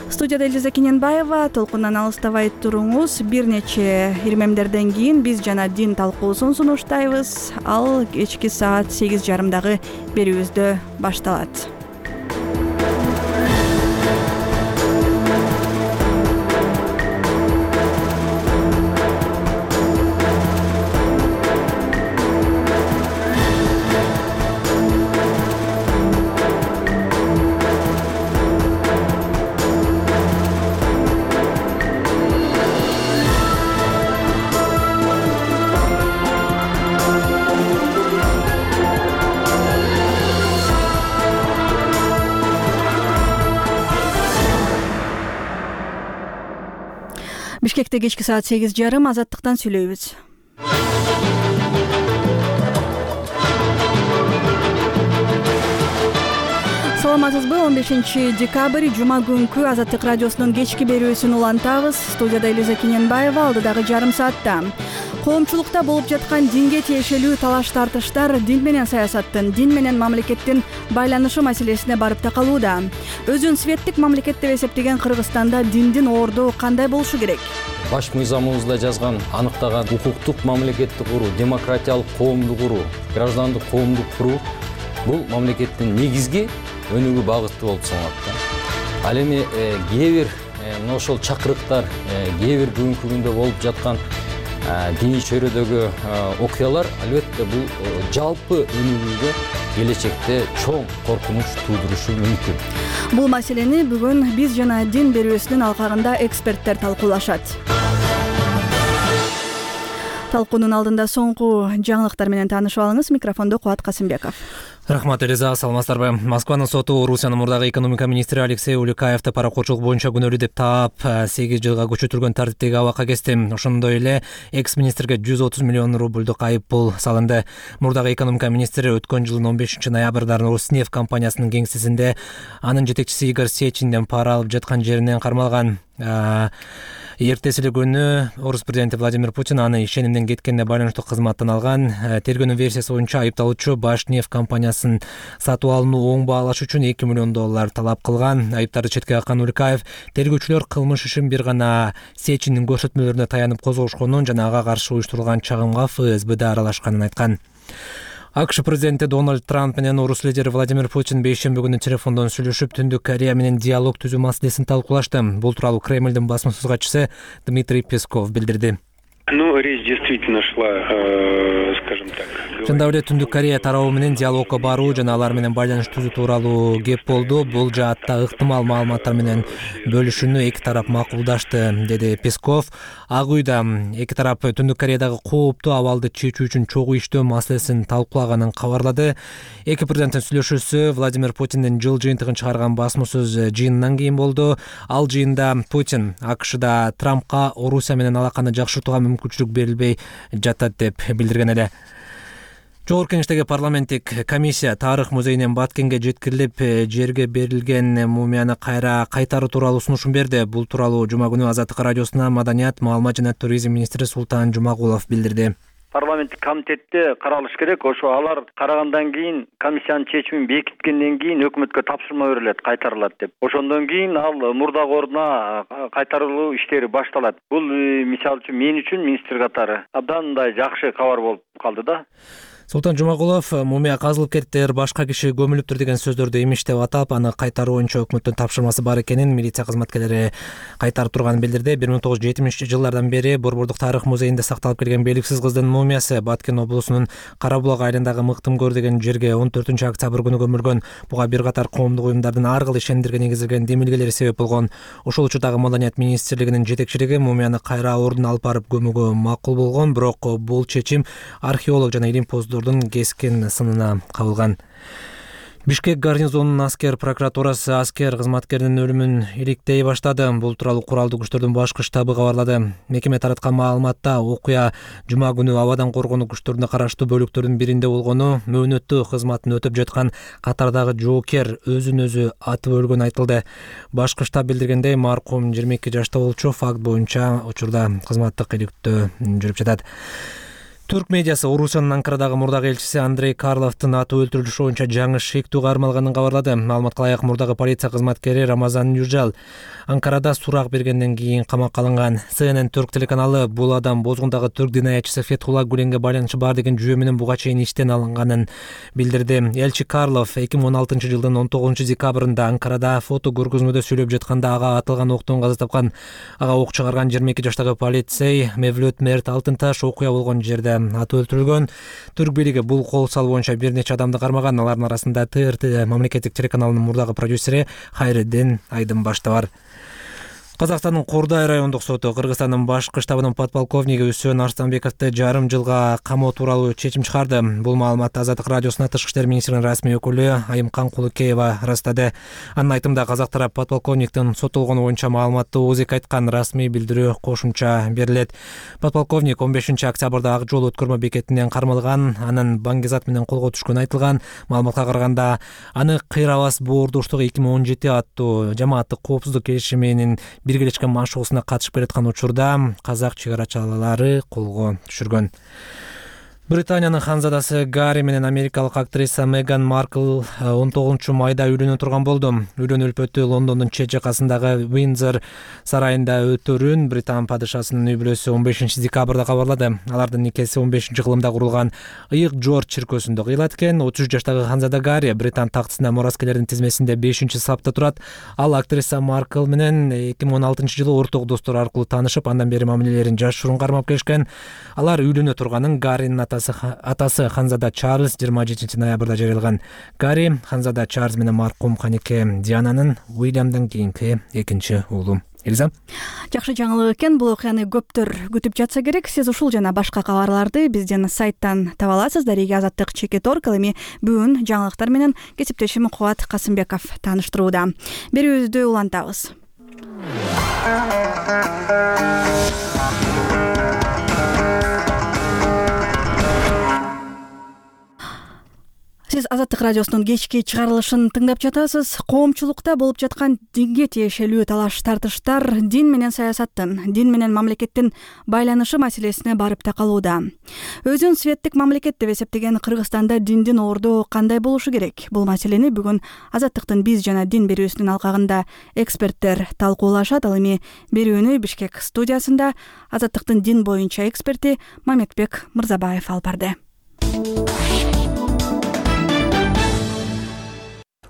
Студияда Элиза Кененбаева. Толкундан алыстабай туруңуз. Бир нече ирмемдерден кийин биз жана дин талкуусун сунуштайбыз. Ал кечки саат 8:30 берүүбүздө башталат. Бишкекте кечки саат 8:30 Азаттыктан сүйлөйбүз. Саламатсызбы? 15 декабрь жума күнкү Азаттык радиосунун кечки берүүсүн улантабыз. Студияда Элиза Кененбаева. Алдыдагы жарым саатта коомчулукта болуп жаткан динге тиешелүү талаш тартыштар дин менен саясаттын, дин менен мамлекеттин байланышы маселесине барып такалууда. Өзүн светтик мамлекет деп эсептеген Кыргызстанда диндин орду кандай болушу керек? Баш мыйзамыбызда жазган, аныктаган укуктук мамлекетти куруу, демократиялык коомду куруу, граждандык коомду куруу бул мамлекеттин негизги өнүгүү багыты болуп саналат. Ал эми кээ бир мына ошол чакырыктар, кээ бир бүгүнкү күндө болуп жаткан диний чөйрөдөгү окуялар албетте бул жалпы өнүгүүгө келечекте чоң коркунуч туудурушу мүмкүн. Бул маселени бүгүн биз жана дин берүүсүнүн алкагында эксперттер талкуулашат. Талкуунун алдында соңку жаңылыктар менен таанышып алыңыз. Микрофондо Кубат Касымбеков. Рахмат, Элиза, саламатсыздарбы? Москванын соту Орусиянын мурдагы экономика министри Алексей Улюкаевди паракорчулук боюнча күнөөлүү деп таап 8 жылга көчөтүлгөн тартиптеги абакка кести. Ошондой эле экс-министрге 130 миллион рубльдук айып пул салынды. Мурдагы экономика министри өткөн жылдын 15 ноябрда Роснефть компаниясынын кеңсесинде анын жетекчиси Игорь Сечинден пара алып жаткан жеринен кармалган. Эртеси эле күнү Орус президенти Владимир Путин аны ишенимден кеткенине байланыштуу кызматтан алган. Тергөөнүн версиясы боюнча айыпталуучу Башнефть компаниясын сатып алууну оң баалаш үчүн $2 миллион талап кылган. Айыптарды четке каккан Улюкаев тергөөчүлөр кылмыш ишин бир гана Сечиндин көрсөтмөлөрүнө таянып козгошконун жана ага каршы уюштурулган чагымга ФСБда аралашканын айткан. АКШ президенти Дональд Трамп менен орус лидери Владимир Путин бейшемби күнү телефондон сүйлөшүп, Түндүк Корея менен диалог түзүү маселесин талкуулашты. Бул тууралуу Кремлдин басма-сөз катчысы Дмитрий Песков билдирди. Речь действительно шла, скажем так. Чындап эле Түндүк Корея тарабы менен диалогко баруу жана алар менен байланыш түзүү тууралуу кеп болду. Бул жаатта ыктымал маалыматтар менен бөлүшүүнү эки тарап макулдашты, деди Песков. Ак үйдө эки тарап Түндүк Кореядагы кооптуу абалды чечүү үчүн чогуу иштөө маселесин талкуулаганын кабарлады. Эки президенттин сүйлөшүүсү Владимир Путиндин жыл жыйынтыгын чыгарган басма-сөз жыйынынан кийин болду. Ал жыйында Путин АКШда Трампка Орусия менен алаканы жакшыртууга мүмкүнчүлүк берилбей жатат деп билдирген эле. Жогорку Кеңештеги парламенттик комиссия Тарых музейинен Баткенге жеткирилип, жерге берилген мумияны кайра кайтаруу тууралуу сунушун берди. Бул тууралуу жума күнү Азаттык радиосуна маданият, маалымат жана туризм министри Султан Жумагулов билдирди. Парламенттик комитетте каралыш керек. Ошо алар карагандан кийин комиссиянын чечимин бекиткенден кийин өкмөткө тапшырма берилет, кайтарылат деп. Ошондон кийин ал мурдагы ордуна кайтарылуу иштери башталат. Бул мисалы үчүн мен үчүн министр катары абдан мындай жакшы кабар болуп калды да. Султан Жумагулов мумия казылып кетиптир, башка киши көмүлүптүр деген сөздөрдү имиштеп атап, аны кайтаруу боюнча өкмөттүн тапшырмасы бар экенин, милиция кызматкерлери кайтарып турганын билдирди. 1970-жылдардан бери Борбордук Тарых музейинде сакталып келген белгисиз кыздын мумиясы Баткен облусунун Карабулак айылындагы Мыктымкөр деген жерге 14-октябрь күнү көмүлгөн. Буга бир катар коомдук уюмдардын ар кыл ишенимдерге негизделген демилгелери себеп болгон. Ошол учурдагы Маданият министрлигинин жетекчилиги мумияны кайра ордуна алып барып көмүүгө макул болгон, бирок бул чечим археолог жана илимпоздордун кескин сынына кабылган. Бишкек гарнизонунун аскер прокуратурасы аскер кызматкеринин өлүмүн иликтей баштады. Бул тууралуу куралдуу күчтөрдүн башкы штабы кабарлады. Мекеме тараткан маалыматта окуя жума күнү абадан коргонуу күчтөрүнө караштуу бөлүктөрдүн биринде болгону, мөөнөттүү кызматын өтөп жаткан катардагы жоокер өзүн өзү атып өлгөнү айтылды. Башкы штаб билдиргендей, маркум 22 жашта болчу. Факт боюнча учурда кызматтык иликтөө жүрүп жатат. Түрк медиасы Орусиянын Анкарадагы мурдагы элчиси Андрей Карловдун атып өлтүрүлүшү боюнча жаңы шектүү кармалганын кабарлады. Маалыматка ылайык, мурдагы полиция кызматкери Рамазан Южал Анкарада сурак бергенден кийин камакка алынган. CNN Түрк телеканалы бул адам бозгундагы түрк дин аятчысы Фетхулла Гүленге байланышы бар деген жүйө менен буга чейин иштен алынганын билдирди. Элчи Карлов 2016 жылдын 19 декабрында Анкарада фото көргөзмөдө сүйлөп жатканда ага атылган октон каза тапкан. Ага ок чыгарган 22 жаштагы полицей Мевлют Мерт Алтынташ окуя болгон жерде атып өлтүрүлгөн. Түрк бийлиги бул кол салуу боюнча бир нече адамды кармаган. Алардын арасында ТРТ мамлекеттик телеканалынын мурдагы продюсери Хайреддин Айдынбаш да бар. Казакстандын Кордай райондук соту Кыргызстандын башкы штабынын подполковниги Үсөн Арстанбековду жарым жылга камоо тууралуу чечим чыгарды. Бул маалыматты Азаттык радиосуна Тышкы иштер министринин расмий өкүлү Айымкан Кулукеева ырастады. Анын айтымында казак тарап подполковниктин соттолгону боюнча маалыматты ооз эки айткан, расмий билдирүү кошумча берилет. Подполковник 15 октябрда Ак жол өткөрмө бекетинен кармалган, анын баңгизат менен колго түшкөнү айтылган. Маалыматка караганда, аны Кыйрабас боордуштук 2017 аттуу жамааттык коопсуздук келишиминин биргелешкен машыгуусуна катышып келаткан учурда казак чыгарачылары колго түшүргөн. Британиянын ханзадасы Гарри менен америкалык актриса Меган Маркл 19 майда үйлөнө турган болду. Үйлөнүү үлпөтү Лондондун чет жакасындагы Виндзор сарайында өтөрүн Британ падышасынын үй бүлөсү 15 декабрда кабарлады. Алардын никеси 15 кылымда курулган Ыйык Джордж чиркөөсүндө кыйылат экен. 33 жаштагы ханзада Гарри Британ тактысына мураскерлердин тизмесинде 5-сапта турат. Ал актриса Маркл менен 2016 жылы орток достор аркылуу таанышып, андан бери мамилелерин жашыруун кармап келишкен. Алар үйлөнө турганын Гарринин атасы ханзада Чарльз 27 ноябрда жарыялаган. Гарри ханзада Чарльз менен маркум канеке Диананын Уильямдан кийинки экинчи уулу. Элиза. Жакшы жаңылык экен. Бул окуяны көптөр күтүп жатса керек. Сиз ушул жана башка кабарларды биздин сайттан таба аласыз. Дареги Азаттык Чекиторг. Эми бүгүн жаңылыктар менен кесиптешим Кубат Касымбеков тааныштырууда. Берүүбүздү улантабыз. Сиз Азаттык радиосунун кечки чыгарылышын тыңдап жатасыз. Коомчулукта болуп жаткан динге тиешелүү талаш тартыштар дин менен саясаттын, дин менен мамлекеттин байланышы маселесине барып такалууда. Өзүн светтик мамлекет деп эсептеген Кыргызстанда диндин орду кандай болушу керек? Бул маселени бүгүн Азаттыктын биз жана дин берүүсүнүн алкагында эксперттер талкуулашат. Ал эми берүүнү Бишкек студиясында Азаттыктын дин боюнча эксперти Мамедбек Мырзабаев алып барды.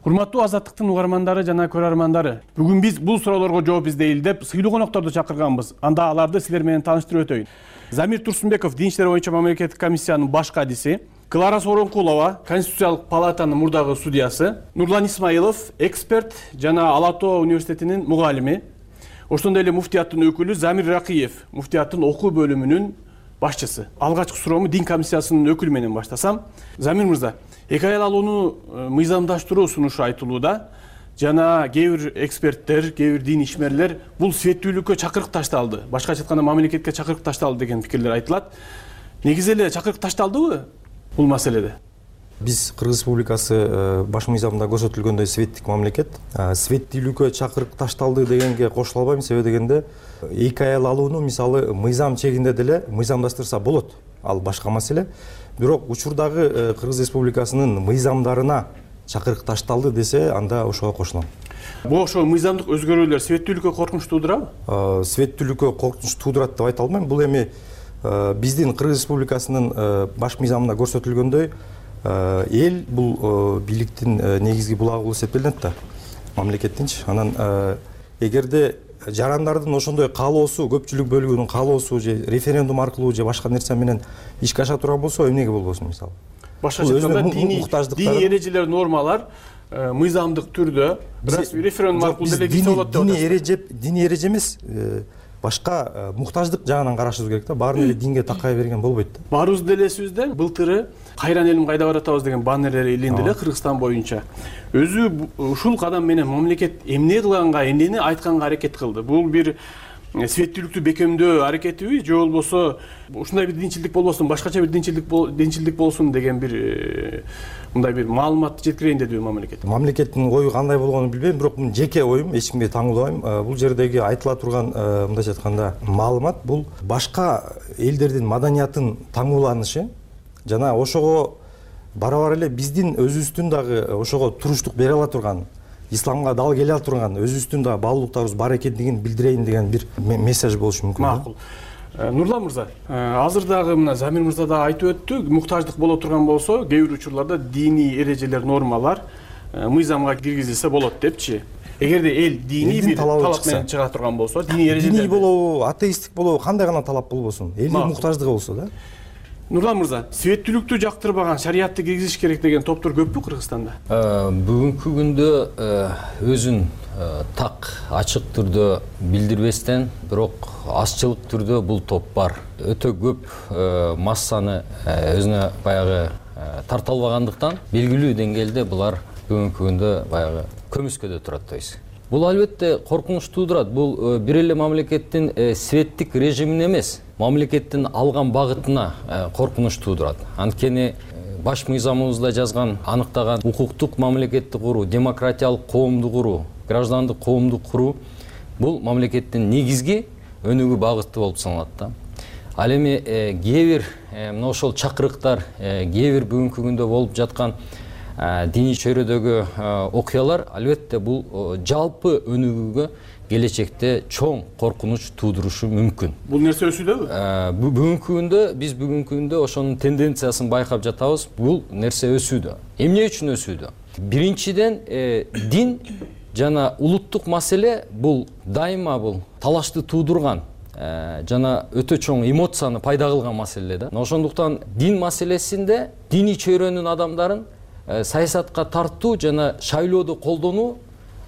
Урматтуу Азаттыктын угармандары жана көрөрмандары, бүгүн биз бул суроолорго жооп издейли деп сыйлуу конокторду чакырганбыз. Анда аларды силер менен тааныштырып өтөйүн. Замир Турсунбеков, дин иштери боюнча мамлекеттик комиссиянын баш кадиси, Клара Сооронкулова, Конституциялык палатанын мурдагы судьясы, Нурлан Исмаилов, эксперт жана Ала Тоо университетинин мугалими, ошондой эле муфтияттын өкүлү Замир Ракиев, муфтияттын окуу бөлүмүнүн башчысы. Алгачкы суроомду дин комиссиясынын өкүлү менен баштасам. Замир мырза, эки аял алууну мыйзамдаштыруу сунушу айтылууда жана кээ бир эксперттер, кээ бир дин ишмерлер бул светтүүлүккө чакырык ташталды, башкача айтканда мамлекетке чакырык ташталды деген пикирлер айтылат. Негизи эле чакырык ташталдыбы бул маселеде? Биз Кыргыз Республикасы баш мыйзамда көрсөтүлгөндөй светтик мамлекет. Светтүүлүккө чакырык ташталды дегенге кошула албайм, себеби дегенде эки аял алууну мисалы мыйзам чегинде деле мыйзамдаштырса болот. Ал башка маселе. Бирок учурдагы Кыргыз Республикасынын мыйзамдарына чакырык ташталды десе, анда ошого кошулам. Бул ошо мыйзамдык өзгөрүүлөр светтүүлүккө коркунуч туудурабы? Светтүүлүккө коркунуч туудурат деп айта албайм. Бул эми биздин Кыргыз Республикасынын баш мыйзамында көрсөтүлгөндөй эл бул бийликтин негизги булагы болуп эсептелинет да, мамлекеттинчи. Анан эгерде жарандардын ошондой каалоосу, көпчүлүк бөлүгүнүн каалоосу же референдум аркылуу же башка нерсе менен ишке аша турган болсо, эмнеге болбосун мисалы. Башкача айтканда диний эрежелер, нормалар мыйзамдык түрдө референдум аркылуу делегация болот деп атасыз. Диний эреже эмес, башка муктаждык жагынан карашыбыз керек да. Баарын эле динге такай берген болбойт да. Баарыбыз деле элесибизде былтыры кайран элим кайда баратабыз деген баннерлер илинди эле Кыргызстан боюнча. Өзү ушул кадам менен мамлекет эмне кылганга, эмнени айтканга аракет кылды? Бул бир светтүүлүктү бекемдөө аракетиби же болбосо ушундай бир динчилдик болбосун, башкача бир динчилдик болсун деген бир мындай бир маалымат жеткирейин дедиби мамлекет? Мамлекеттин ою кандай болгонун билбейм, бирок бул жеке оюм, эч кимге таңуулабайм. Бул жердеги айтыла турган мындайча айтканда маалымат бул башка элдердин маданиятын таңууланышы жана ошого барабар эле биздин өзүбүздүн дагы ошого туруштук бере ала турган, исламга дал келе ала турган өзүбүздүн дагы баалуулуктарыбыз бар экендигин билдирейин деген бир месседж болушу мүмкүн. Макул. Нурлан мырза, азыр дагы мына Замир мырза да айтып өттү, муктаждык боло турган болсо, кээ бир учурларда диний эрежелер, нормалар мыйзамга киргизилсе болот депчи. Эгерде эл диний бир талап менен чыга турган болсо, диний эрежелер диний болобу, атеисттик болобу, кандай гана талап болбосун, элдин муктаждыгы болсо да. Нурлан мырза, светтүүлүктү жактырбаган, шариятты киргизиш керек деген топтор көппү Кыргызстанда? Бүгүнкү күндө өзүн так ачык түрдө билдирбестен, бирок азчылык түрдө бул топ бар. Өтө көп массаны өзүнө баягы тарта албагандыктан белгилүү деңгээлде булар бүгүнкү күндө баягы көмүскөдө турат дейбиз. Бул албетте коркунуч туудурат. Бул бир эле мамлекеттин светтик режимине эмес, мамлекеттин алган багытына коркунуч туудурат. Анткени баш мыйзамыбызда жазган, аныктаган укуктук мамлекетти куруу, демократиялык коомду куруу, граждандык коомду куруу бул мамлекеттин негизги өнүгүү багыты болуп саналат да. Ал эми кээ бир мына ошол чакырыктар, кээ бир бүгүнкү күндө болуп жаткан диний чөйрөдөгү окуялар албетте бул жалпы өнүгүүгө келечекте чоң коркунуч туудурушу мүмкүн. Бул нерсе өсүүдөбү? Бүгүнкү күндө биз бүгүнкү күндө ошонун тенденциясын байкап жатабыз. Бул нерсе өсүүдө. Эмне үчүн өсүүдө? Биринчиден дин жана улуттук маселе бул дайыма бул талашты туудурган жана өтө чоң эмоцияны пайда кылган маселе да. Ошондуктан дин маселесинде диний чөйрөнүн адамдарын саясатка тартуу жана шайлоодо колдонуу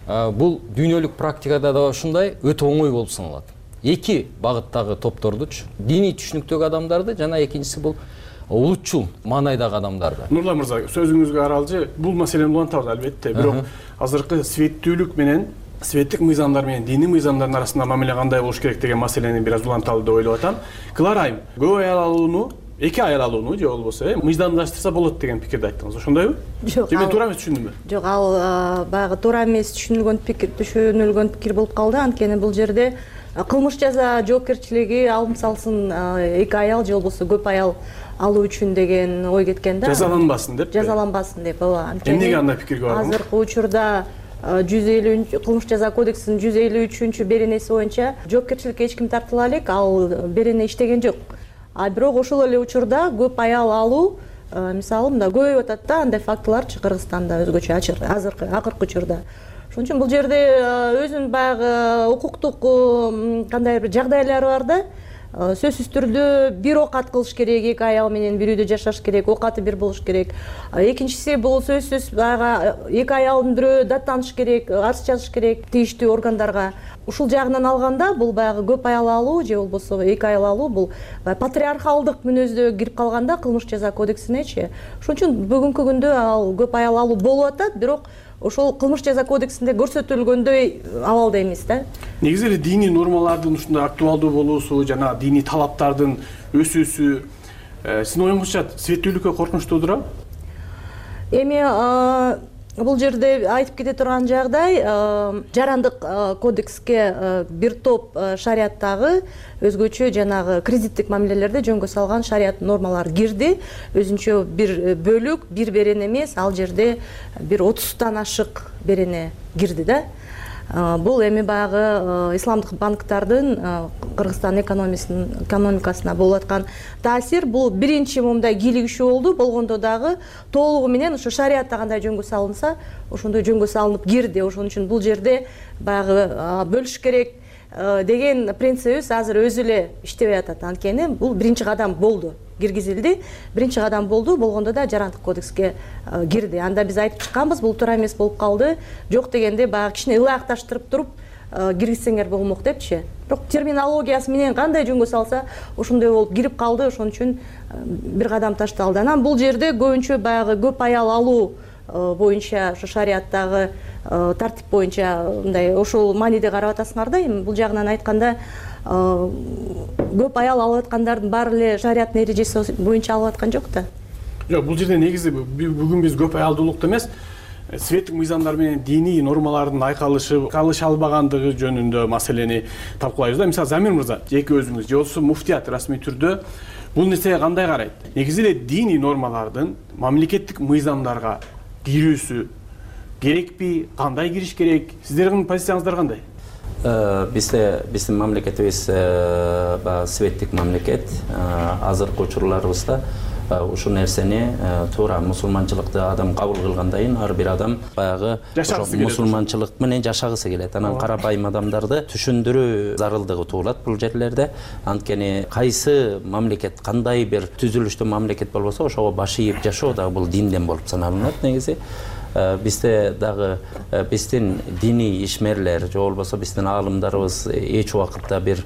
бул дүйнөлүк практикада да ушундай өтө оңой болуп саналат. Эки багыттагы топтордучу, диний түшүнүктөгү адамдарды жана экинчиси бул улутчул маанайдагы адамдарды. Нурлан мырза, сөзүңүзгө аралжы, бул маселени улантабыз албетте, бирок азыркы светтүүлүк менен светтик мыйзамдар менен диний мыйзамдардын арасында мамиле кандай болуш керек деген маселени бир аз уланталы деп ойлоп атам. Кыларайым, көп аял алууну, эки аял алууну же болбосо мыйзамдаштырса болот деген пикирди айттыңыз. Ошондойбу? Жок. Мен туура эмес түшүндүмбү? Жок, ал баягы туура эмес түшүнүлгөн пикир болуп калды. Анткени бул жерде кылмыш жаза жоопкерчилиги алым салсын эки аял же болбосо көп аял алуу үчүн деген ой кеткен да. Жазаланбасын деп. Жазаланбасын деп, ооба. Эмнеге андай пикирге бардыңыз? Азыркы учурда 150 кылмыш жаза кодексинин 153 беренеси боюнча жоопкерчиликке эч ким тартыла элек, ал берене иштеген жок. Бирок ошол эле учурда көп аял алуу мисалы мында көбөйүп атат да, андай фактыларчы Кыргызстанда өзгөчө азыркы акыркы учурда. Ошон үчүн бул жерде өзүнүн баягы укуктук кандай бир жагдайлары бар да. Сөзсүз түрдө бир окат кылыш керек, эки аял менен бир үйдө жашаш керек, окаты бир болуш керек. Экинчиси бул сөзсүз баягы эки аялдын бирөө даттаныш керек, арыз жазыш керек тийиштүү органдарга. Ушул жагынан алганда бул баягы көп аял алуу же болбосо эки аял алуу бул патриархалдык мүнөздө кирип калганда кылмыш жаза кодексинечи. Ошон үчүн бүгүнкү күндө ал көп аял алуу болуп атат, бирок ошол кылмыш жаза кодексинде көрсөтүлгөндөй абалда эмес да. Негизи эле диний нормалардын ушундай актуалдуу болуусу жана диний талаптардын өсүүсү сиздин оюңузча светтүүлүккө коркунуч туудурабы? Эми бул жерде айтып кете турган жагдай, жарандык кодекске бир топ шарияттагы өзгөчө жанагы кредиттик мамилелерди жөнгө салган шарият нормалары кирди. Өзүнчө бир бөлүк, бир берене эмес, ал жерде бир 30тан ашык берене кирди да. Бул эми баягы исламдык банктардын Кыргызстан экономикасына болуп аткан таасир. Бул биринчи момундай кийлигишүү болду. Болгондо дагы толугу менен ошо шариятта кандай жөнгө салынса, ошондой жөнгө салынып кирди. Ошон үчүн бул жерде баягы бөлүш керек деген принцибибиз азыр өзү эле иштебей атат. Анткени бул биринчи кадам болду, киргизилди. Биринчи кадам болду, болгондо да жарандык кодекске кирди. Анда биз айтып чыкканбыз, бул туура эмес болуп калды. Жок дегенде баягы кичине ылайыкташтырып туруп, киргизсеңер болмок депчи. Бирок терминологиясы менен кандай жөнгө салса ошондой болуп кирип калды, ошон үчүн бир кадам ташталды. Анан бул жерде көбүнчө баягы көп аял алуу боюнча ошо шарияттагы тартип боюнча мындай ошол мааниде карап атасыңар да. Эми бул жагынан айтканда көп аял алып аткандардын баары эле шарияттын эрежеси боюнча алып аткан жок да. Жок, бул жерде негизи бүгүн биз көп аялдуулукту эмес, светтик мыйзамдар менен диний нормалардын айкалыша албагандыгы жөнүндө маселени талкуулайбыз да. Мисалы, Замир мырза, жеке өзүңүз же болбосо муфтият расмий түрдө бул нерсеге кандай карайт? Негизи эле диний нормалардын мамлекеттик мыйзамдарга кирүүсү керекпи, кандай кириш керек? Сиздердин позицияңыздар кандай? Биздин мамлекетибиз светтик мамлекет. Азыркы учурларыбызда ушул нерсени туура мусулманчылыкты адам кабыл кылгандан ар бир адам баягы мусулманчылык менен жашагысы келет. Анан карапайым адамдарды түшүндүрүү зарылдыгы туулат бул жерлерде. Анткени кайсы мамлекет, кандай бир түзүлүштүү мамлекет болбосо, ошого баш ийип жашоо дагы бул динден болуп саналынат негизи. Бизде дагы биздин диний ишмерлер же болбосо биздин аалымдарыбыз эч убакытта бир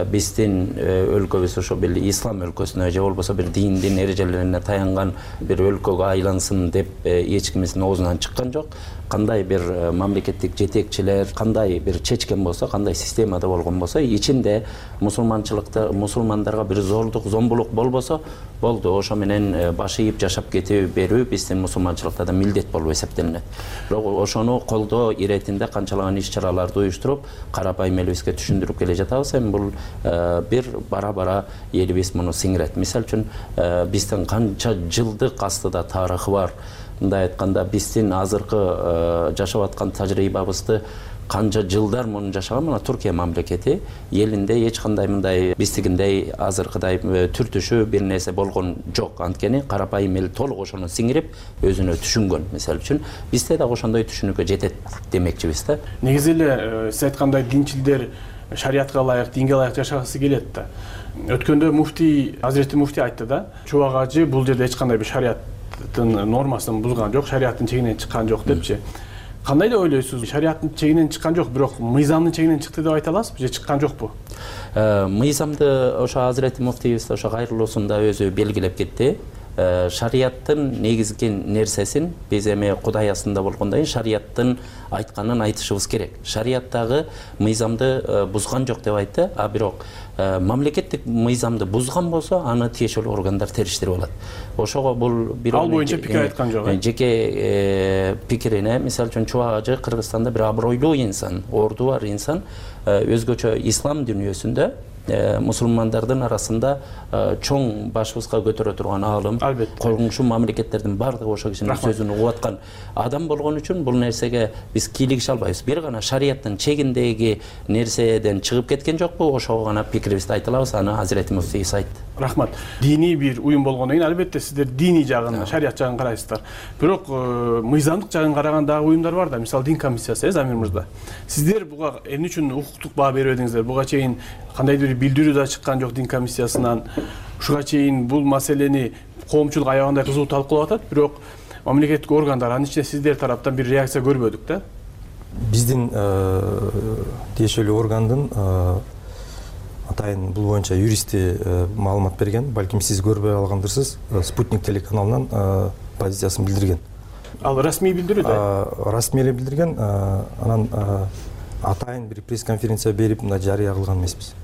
биздин өлкөбүз ошо бир ислам өлкөсүнө же болбосо бир диндин эрежелерине таянган бир өлкөгө айлансын деп эч кимдин оозунан чыккан жок. Кандай бир мамлекеттик жетекчилер кандай бир чечкен болсо, кандай системада болгон болсо, ичинде мусулмандарга бир зордук, зомбулук болбосо болду. Ошо менен баш ийип жашап кете берүү биздин мусулманчылыкта да милдет болуп эсептелинет. Бирок ошону колдоо иретинде канчалаган иш-чараларды уюштуруп, карапайым элибизге түшүндүрүп келе жатабыз. Эми бул бир бара-бара элибиз муну сиңирет. Мисалы үчүн биздин канча жылдык астыда тарыхы бар. Мындай айтканда, биздин азыркы жашап аткан тажрыйбабызды канча жылдар муну жашаган мына Туркия мамлекети элинде эч кандай мындай биздигиндей азыркыдай түртүшүү бир нерсе болгон жок. Анткени карапайым эл толук ошону сиңирип өзүнө түшүнгөн. Мисалы үчүн бизде да ошондой түшүнүккө жетет демекчибиз да. Негизи эле сиз айткандай динчилдер шариятка ылайык, динге ылайык жашагысы келет да. Өткөндө муфтий, Азирети муфтий айтты да, Чубак ажы бул жерде эч кандай бир шарияттын нормасын бузган жок, шарияттын чегинен чыккан жок депчи. Кандай деп ойлойсуз? Шарияттын чегинен чыккан жок, бирок мыйзамдын чегинен чыкты деп айта аласызбы же чыккан жокпу? Мыйзамды ошо Азирети муфтийибиз ошо кайрылуусунда өзү белгилеп кетти. Шарияттын негизги нерсесин биз эми Кудай астында болгондон кийин шарияттын айтканын айтышыбыз керек. Шарияттагы мыйзамды бузган жок деп айтты, а бирок мамлекеттик мыйзамды бузган болсо, аны тиешелүү органдар териштирип алат. Ошого бул бир ал боюнча пикир айткан жок. Жеке пикирине, мисалы үчүн Чубак ажы Кыргызстанда бир абройлуу инсан, орду бар инсан, өзгөчө ислам дүйнөсүндө мусулмандардын арасында чоң башыбызга көтөрө турган аалым, коңшу мамлекеттердин бардыгы ошо кишинин сөзүн угуп аткан адам болгон үчүн бул нерсеге биз кийлигише албайбыз. Бир гана шарияттын чегиндеги нерседен чыгып кеткен жокпу, ошого гана пикирибизди айта алабыз. Аны Азирети муфтийибиз айтты. Рахмат. Диний бир уюм болгондон кийин албетте сиздер диний жагын, шарият жагын карайсыздар. Бирок мыйзамдык жагын караган дагы уюмдар бар да. Мисалы Дин комиссиясы, Замир мырза. Сиздер буга эмне үчүн укуктук баа бербедиңиздер? Буга чейин кандайдыр билдирүү да чыккан жок Дин комиссиясынан. Ушуга чейин бул маселени коомчулук аябагандай кызуу талкуулап атат, бирок мамлекеттик органдар, анын ичинде сиздер тараптан бир реакция көрбөдүк да. Биздин тиешелүү органдын атайын бул боюнча юристи маалымат берген, балким сиз көрбөй алгандырсыз, Спутник телеканалынан позициясын билдирген. Ал расмий билдирүү да? Расмий эле билдирген, анан атайын бир пресс-конференция берип мына жарыя кылган эмеспиз.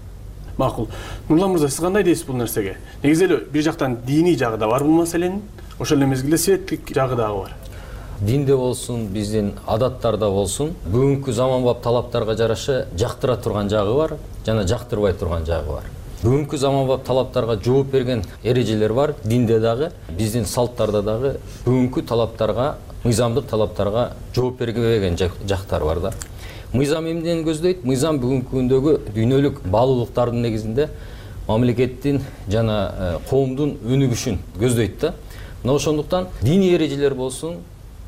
Макул. Нурлан мырза, сиз кандай дейсиз бул нерсеге? Негизи эле бир жактан диний жагы да бар бул маселенин, ошол эле мезгилде светтик жагы дагы бар. Динде болсун, биздин адаттарда болсун, бүгүнкү заманбап талаптарга жараша жактыра турган жагы бар, жана жактырбай турган жагы бар. Бүгүнкү заманбап талаптарга жооп берген эрежелер бар, динде дагы, биздин салттарда дагы бүгүнкү талаптарга, мыйзамдык талаптарга жооп бербеген жактар бар да. Мыйзам эмнени көздөйт? Мыйзам бүгүнкү күндөгү дүйнөлүк баалуулуктардын негизинде мамлекеттин жана коомдун өнүгүшүн көздөйт да. Мына ошондуктан диний эрежелер болсун,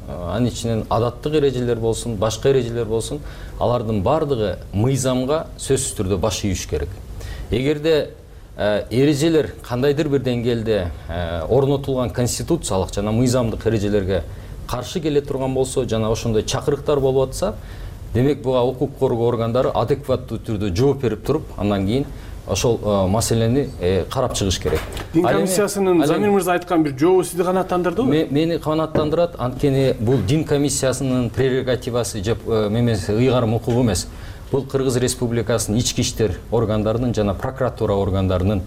анын ичинен адаттык эрежелер болсун, башка эрежелер болсун, алардын бардыгы мыйзамга сөзсүз түрдө баш ийиш керек. Эгерде эрежелер кандайдыр бир деңгээлде орнотулган конституциялык жана мыйзамдык эрежелерге каршы келе турган болсо, жана ошондой чакырыктар болуп атса, демек буга укук коргоо органдары адекваттуу түрдө жооп берип туруп, андан кийин ошол маселени карап чыгыш керек. Дин комиссиясынын Замир мырза айткан бир жообу сизди канааттандырдыбы? Мени канааттандырат. Анткени бул дин комиссиясынын прерогативасы же ыйгарым укугу эмес. Бул Кыргыз Республикасынын ички иштер органдарынын жана прокуратура органдарынын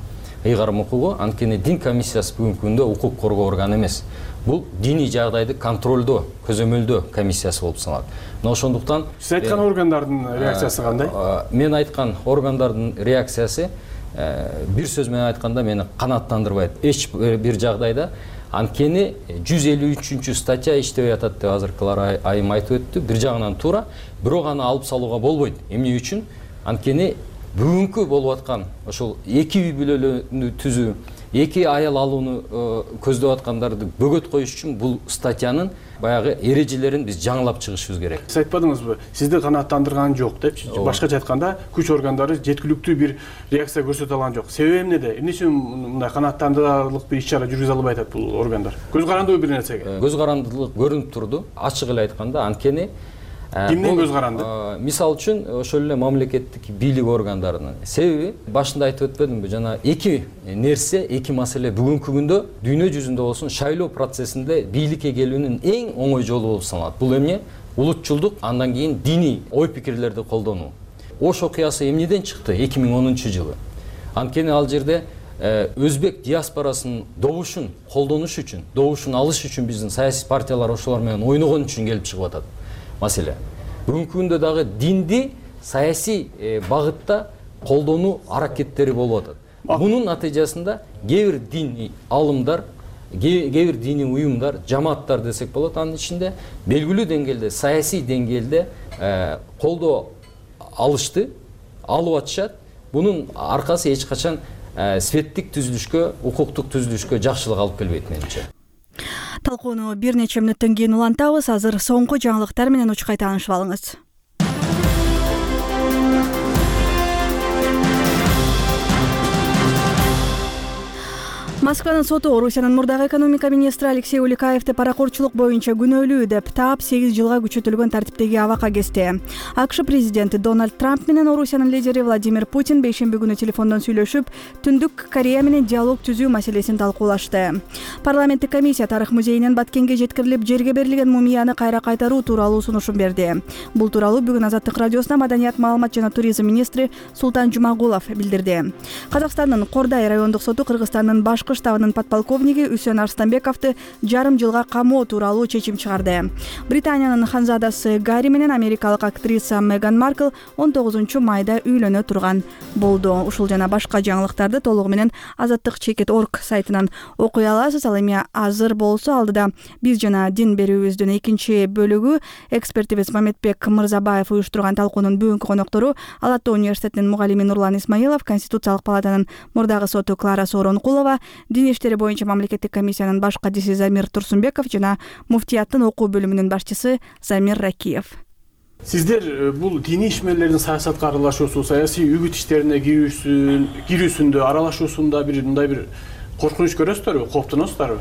ыйгарым укугу. Анткени дин комиссиясы бүгүнкү күндө укук коргоо органы эмес. Бул диний жагдайды контролдоо, көзөмөлдөө комиссиясы болуп саналат. Мына ошондуктан сиз айткан органдардын реакциясы кандай? Мен айткан органдардын реакциясы бир сөз менен айтканда мени канааттандырбайт. Эч бир жагдайда. Анткени 153 статья иштебей атат деп азыркылар айым айтып өттү. Бир жагынан туура, бирок аны алып салууга болбойт. Эмне үчүн? Анткени бүгүнкү болуп аткан ошол эки үй бүлөлөрдү түзүү, эки аял алууну көздөп аткандарды бөгөт коюш үчүн бул статьянын баягы эрежелерин биз жаңылап чыгышыбыз керек. Сиз айтпадыңызбы? Сизди канааттандырган жок депчи. Башкача айтканда, күч органдары жеткиликтүү бир реакция көрсөтө алган жок. Себеби эмнеде? Эмне үчүн мындай канааттандырарлык бир иш-чара жүргүзө албай атат бул органдар? Көз карандыбы бир нерсеге? Көз карандылык көрүнүп турду. Ачык эле айтканда, анткени кимдин көз каранды? Мисалы үчүн ошол эле мамлекеттик бийлик органдарынын. Себеби башында айтып өтпөдүмбү, жана эки нерсе, эки маселе бүгүнкү күндө дүйнө жүзүндө болсун шайлоо процессинде бийликке келүүнүн эң оңой жолу болуп саналат. Бул эмне? Улутчулдук, андан кийин диний ой пикирлерди колдонуу. Ош окуясы эмнеден чыкты 2010-жылы? Анткени ал жерде өзбек диаспорасынын добушун колдонуш үчүн, добушун алыш үчүн биздин саясий партиялар ошолор менен ойногон үчүн келип чыгып атат. Маселе. Бүгүнкү күндө дагы динди саясий багытта колдонуу аракеттери болуп атат. Мунун натыйжасында кээ бир диний алымдар, кээ бир диний уюмдар, жамааттар десек болот, анын ичинде белгилүү деңгээлде, саясий деңгээлде колдоо алышты, алып атышат. Бунун аркасы эч качан светтик түзүлүшкө, укуктук түзүлүшкө жакшылык алып келбейт менимче. Талкууну бир нече мүнөттөн кийин улантабыз. Азыр соңку жаңылыктар менен учкай таанышып алыңыз. Москванын соту Орусиянын мурдагы экономика министри Алексей Уликаевди паракорчулук боюнча күнөөлүү деп таап 8 жылга күчөтүлгөн тартиптеги абакка кести. АКШ президенти Дональд Трамп менен Орусиянын лидери Владимир Путин бейшемби күнү телефондон сүйлөшүп, Түндүк Корея менен диалог түзүү маселесин талкуулашты. Парламенттик комиссия Тарых музейинен Баткенге жеткирилип, жерге берилген мумияны кайра кайтаруу тууралуу сунушун берди. Бул тууралуу бүгүн Азаттык радиосуна маданият, маалымат жана туризм министри Султан Жумагулов билдирди. Казакстандын Кордай райондук соту Кыргызстандын башкы штабынын подполковниги Үсөн Арстанбековду жарым жылга камоо тууралуу чечим чыгарды. Британиянын ханзадасы Гарри менен америкалык актриса Меган Маркл 19 майда үйлөнө турган болду. Ушул жана башка жаңылыктарды толугу менен azattik.org сайтынан окуй аласыз. Ал эми азыр болсо алдыда биз жана дин берүүбүздүн экинчи бөлүгү экспертибиз Мамедбек Мырзабаев уюштурган талкуунун бүгүнкү коноктору Ала Ата университетинин мугалими Нурлан Исмаилов, Конституциялык палатанын мурдагы соту Клара Сооронкулова, Дин иштери боюнча мамлекеттик комиссиянын баш кадиси Замир Турсунбеков жана муфтияттын окуу бөлүмүнүн башчысы Замир Ракиев. Сиздер бул диний ишмерлердин саясатка аралашуусу, саясий үгүт иштерине кирүүсүндө, аралашуусунда мындай бир коркунуч көрөсүздөрбү, кооптоносуздарбы?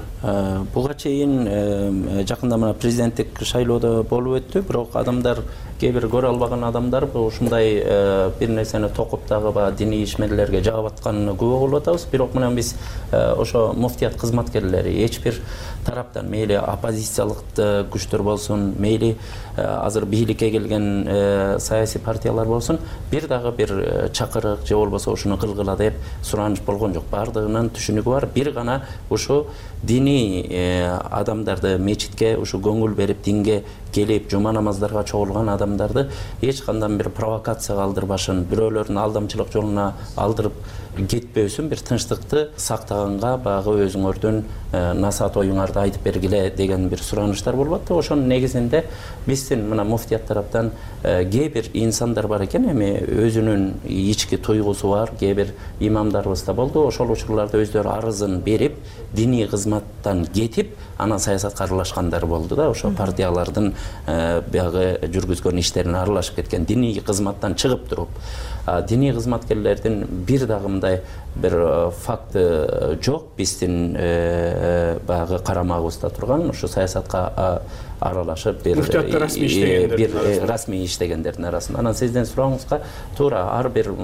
Буга чейин жакында мына президенттик шайлоодо болуп өттү, бирок адамдар кээ бир көрө албаган адамдар ушундай бир нерсени токуп дагы диний ишмерлерге жагып атканына күбө болуп атабыз. Бирок мына биз ошо муфтият кызматкерлери эч бир тараптан, мейли оппозициялык күчтөр болсун, мейли азыр бийликке келген саясий партиялар болсун, бир дагы бир чакырык же болбосо ушуну кылгыла деп сураныш болгон жок. Бардыгынын түшүнүгү бар. Бир гана ушу диний адамдарды мечитке ушу көңүл берип, динге келип, жума намаздарга чогулган адамдарды эч кандай бир провокацияга алдырбашын, бирөөлөрдүн алдамчылык жолуна алдырып кетпөөсүн, бир тынчтыкты сактаганга багы өзүңөрдүн насаат оюңарды айтып бергиле деген бир сураныштар болуп атты. Ошонун негизинде биздин мына муфтият тараптан кээ бир инсандар бар экен, эми өзүнүн ички туйгусу бар, кээ бир имамдарыбыз да болду. Ошол учурларда өздөрү арызын берип диний кызматтан кетип анан саясатка аралашкандар болду да. Ошо партиялардын баягы жүргүзгөн иштерине аралашып кеткен, диний кызматтан чыгып туруп. Диний кызматкерлердин бир дагы мындай бир факты жок биздин баягы карамагыбызда турган, ошо саясатка аралашып бир расмий иштегендердин арасында. Анан сиздин сурооңузга туура ар бир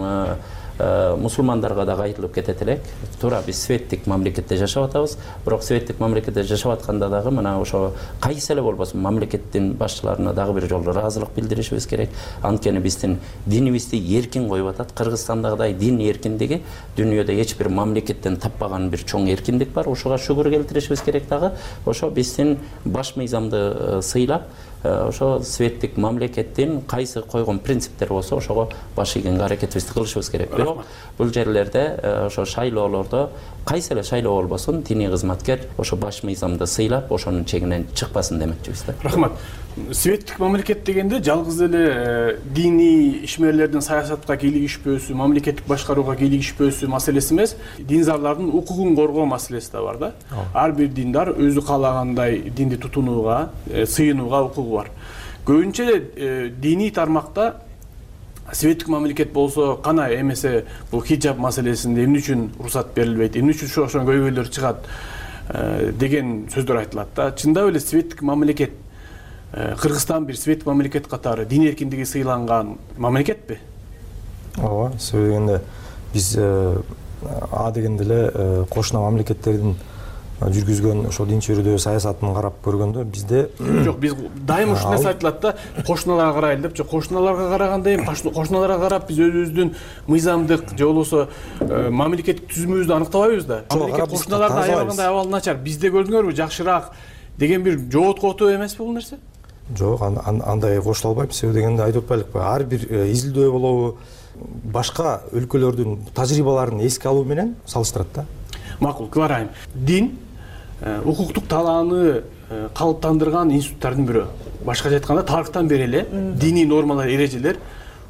мусулмандарга дагы айтылып кетет элек. Туура биз светтик мамлекетте жашап атабыз, бирок светтик мамлекетте жашап атканда дагы мына ошо кайсы эле болбосун мамлекеттин башчыларына дагы бир жолу ыраазылык билдиришибиз керек. Анткени биздин динибизди эркин коюп атат. Кыргызстандагыдай дин эркиндиги дүйнөдө эч бир мамлекеттен таппаган бир чоң эркиндик бар. Ошого шүгүр келтиришибиз керек дагы. Ошо биздин баш мыйзамды сыйлап, ошо светтик мамлекеттин кайсы койгон принциптери болсо ошого баш ийгенге аракетибизди кылышыбыз керек. Бирок бул жерлерде ошо шайлоолордо кайсы эле шайлоо болбосун диний кызматкер ошо баш мыйзамды сыйлап ошонун чегинен чыкпасын демекчибиз да. Рахмат. Светтик мамлекет дегенде жалгыз эле диний ишмерлердин саясатка кийлигишпөөсү, мамлекеттик башкарууга кийлигишпөөсү маселеси эмес, диндарлардын укугун коргоо маселеси да бар да. Ар бир диндар өзү каалагандай динди тутунууга, сыйынууга укугу бар. Көбүнчө диний тармакта светтик мамлекет болсо кана эмесе бул хиджаб маселесинде эмне үчүн уруксат берилбейт, эмне үчүн ошо көйгөйлөр чыгат деген сөздөр айтылат да. Чындап эле светтик мамлекет Кыргызстан бир светтик мамлекет катары дин эркиндиги сыйланган мамлекетпи? Ооба, себеби дегенде биз дегенде эле кошуна мамлекеттердин жүргүзгөн ошо дин чөйрөдөгү саясатын карап көргөндө бизде жок, биз дайыма ушул нерсе айтылат да, кошуналарга карайлы деп. Жок, кошуналарга караганда эми кошуналарга карап биз өзүбүздүн мыйзамдык же болбосо мамлекеттик түзүмүбүздү аныктабайбыз да. Мамлекет кошуналардын аябагандай абалы начар, бизде көрдүңөрбү жакшыраак деген бир жооткотуу эмеспи бул нерсе? Жок, андай кошула албайм. Себеби дегенде айтып атпайлыкпы, ар бир изилдөө болобу, башка өлкөлөрдүн тажрыйбаларын эске алуу менен салыштырат да. Макул, кыларайм. Дин укуктук талааны калыптандырган институттардын бирөө. Башкача айтканда тарыхтан бери эле диний нормалар, эрежелер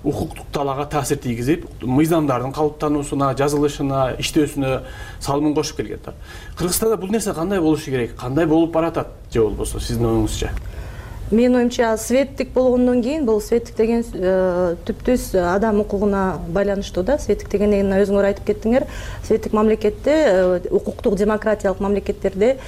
укуктук талаага таасир тийгизип, мыйзамдардын калыптануусуна, жазылышына, иштөөсүнө салымын кошуп келген да. Кыргызстанда бул нерсе кандай болушу керек? Кандай болуп баратат же болбосо сиздин оюңузча? Менин оюмча светтик болгондон кийин бул светтик деген түптүз адам укугуна байланыштуу да. Светтик дегенде өзүңөр айтып кеттиңер, светтик мамлекетте, укуктук демократиялык мамлекеттерде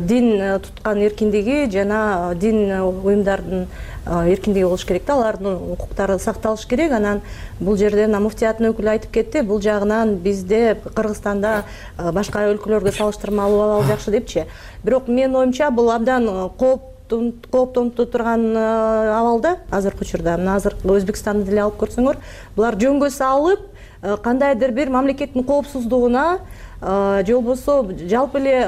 дин туткан эркиндиги жана дин уюмдардын эркиндиги болуш керек да, алардын укуктары сакталыш керек. Анан бул жерде муфтияттын өкүлү айтып кетти, бул жагынан бизде Кыргызстанда башка өлкөлөргө салыштырмалуу абал жакшы депчи. Бирок менин оюмча бул абдан кооптонуп турган абалда азыркы учурда. Мына азыркы Өзбекстанды деле алып көрсөңөр, булар жөнгө салып кандайдыр бир мамлекеттин коопсуздугуна же болбосо жалпы эле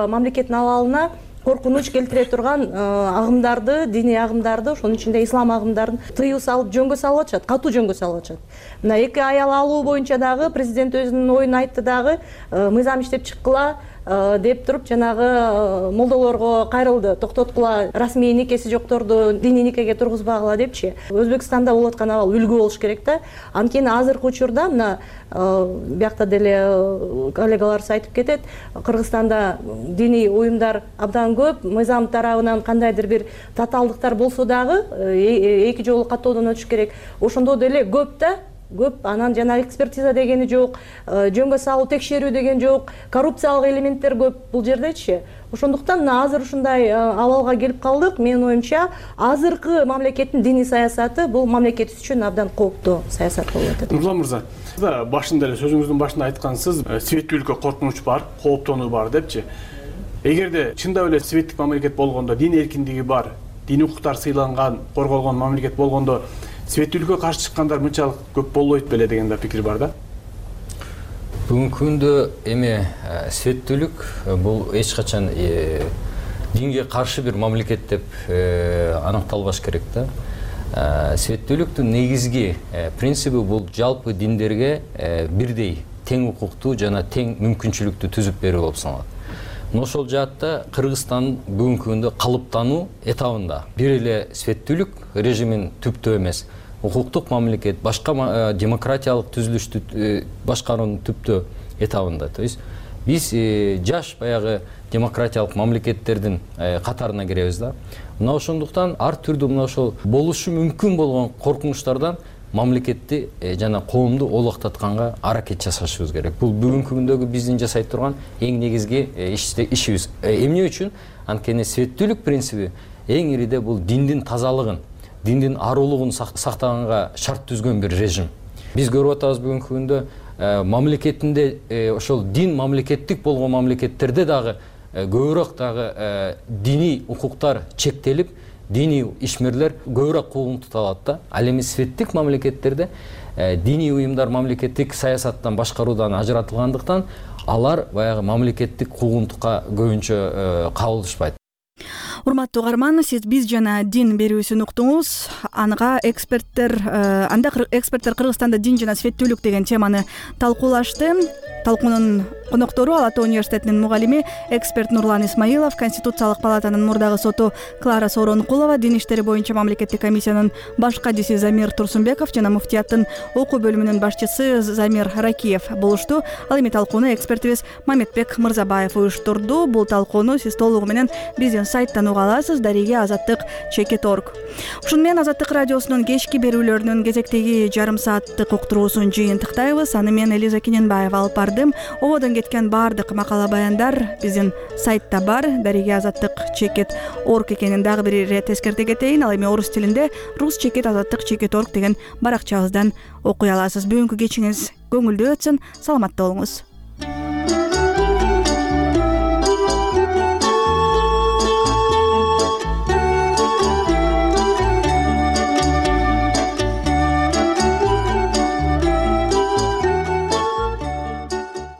мамлекеттин абалына коркунуч келтире турган агымдарды, диний агымдарды, ошонун ичинде ислам агымдарын тыюу салып жөнгө салып атышат, катуу жөнгө салып атышат. Мына 2 аял алуу боюнча дагы президент өзүнүн оюн айтты дагы, мыйзам иштеп чыккыла деп туруп жанагы молдолорго кайрылды, токтоткула, расмий никеси жокторду диний никеге тургузбагыла депчи. Өзбекстанда болуп аткан абал үлгү болуш керек да. Анткени азыркы учурда мына биякта деле коллегаларыбыз айтып кетет, Кыргызстанда диний уюмдар абдан көп, мыйзам тарабынан кандайдыр бир татаалдыктар болсо дагы эки жолу каттоодон өтүш керек. Ошондо деле көп да. Көп, анан жана экспертиза дегени жок, жөнгө салуу, текшерүү деген жок, коррупциялык элементтер көп бул жердечи. Ошондуктан азыр ушундай абалга келип калдык. Менин оюмча, азыркы мамлекеттин диний саясаты бул мамлекет үчүн абдан кооптуу саясат болуп атат. Нурлан мырза, башында эле сөзүңүздүн башында айткансыз, светтүүлүккө коркунуч бар, кооптонуу бар депчи. Эгерде чындап эле светтик мамлекет болгондо, дин эркиндиги бар, диний укуктар сыйланган, корголгон мамлекет болгондо светтүүлүккө каршы чыккандар мынчалык көп болбойт беле деген да пикир бар да. Бүгүнкү күндө эми светтүүлүк бул эч качан динге каршы бир мамлекет деп аныкталбаш керек да. Светтүүлүктүн негизги принциби бул жалпы диндерге бирдей тең укуктуу жана тең мүмкүнчүлүктү түзүп берүү болуп саналат. Ошол жаатта Кыргызстан бүгүнкү күндө калыптануу этабында бир эле светтүүлүк режимин түптөө эмес, укуктук мамлекет, башка демократиялык түзүлүштү башкаруунун түптөө этабында. То есть биз жаш баягы демократиялык мамлекеттердин катарына киребиз да. Мына ошондуктан ар түрдүү мына ошол болушу мүмкүн болгон коркунучтардан мамлекетти жана коомду олоктатканга аракет жасашыбыз керек. Бул бүгүнкү күндөгү биздин жасай турган эң негизги ишибиз. Эмне үчүн? Анткени светтүүлүк принциби эң ириде бул диндин тазалыгын, диндин аруулугун сактаганга шарт түзгөн бир режим. Биз көрүп атабыз бүгүнкү күндө мамлекетинде ошол дин мамлекеттик болгон мамлекеттерде дагы көбүрөөк дагы диний укуктар чектелип, диний ишмерлер көбүрөөк куугунтук алат да. Ал эми светтик мамлекеттерде диний уюмдар мамлекеттик саясаттан башкаруудан ажыратылгандыктан алар баягы мамлекеттик куугунтукка көбүнчө кабылышпайт. Урматтуу угарман, сиз биз жана дин берүүсүн уктуңуз. Анда эксперттер Кыргызстанда дин жана светтүүлүк деген теманы талкуулашты. Талкуунун коноктору Ала Тоо университетинин мугалими, эксперт Нурлан Исмаилов, Конституциялык палатанын мурдагы соту Клара Сооронкулова, дин иштери боюнча мамлекеттик комиссиянын баш кадиси Замир Турсунбеков жана муфтияттын окуу бөлүмүнүн башчысы Замир Ракиев болушту. Ал эми талкууну экспертибиз Мамедбек Мырзабаев уюштурду. Бул талкууну сиз толугу менен биздин сайттан уга аласыз, дареге azattik.org. Ушуну менен Азаттык радиосунун кечки берүүлөрүнүн кезектеги жарым сааттык уктуруусун жыйынтыктайбыз. Аны мен Элиза Кененбаева алып бардым. Ободон кеткен баардык макала баяндар биздин сайтта бар, дареге azattik.org экенин дагы бир ирет эскерте кетейин. Ал эми орус тилинде rus.azattik.org деген баракчабыздан окуй аласыз. Бүгүнкү кечиңиз көңүлдүү өтсүн, саламатта болуңуз.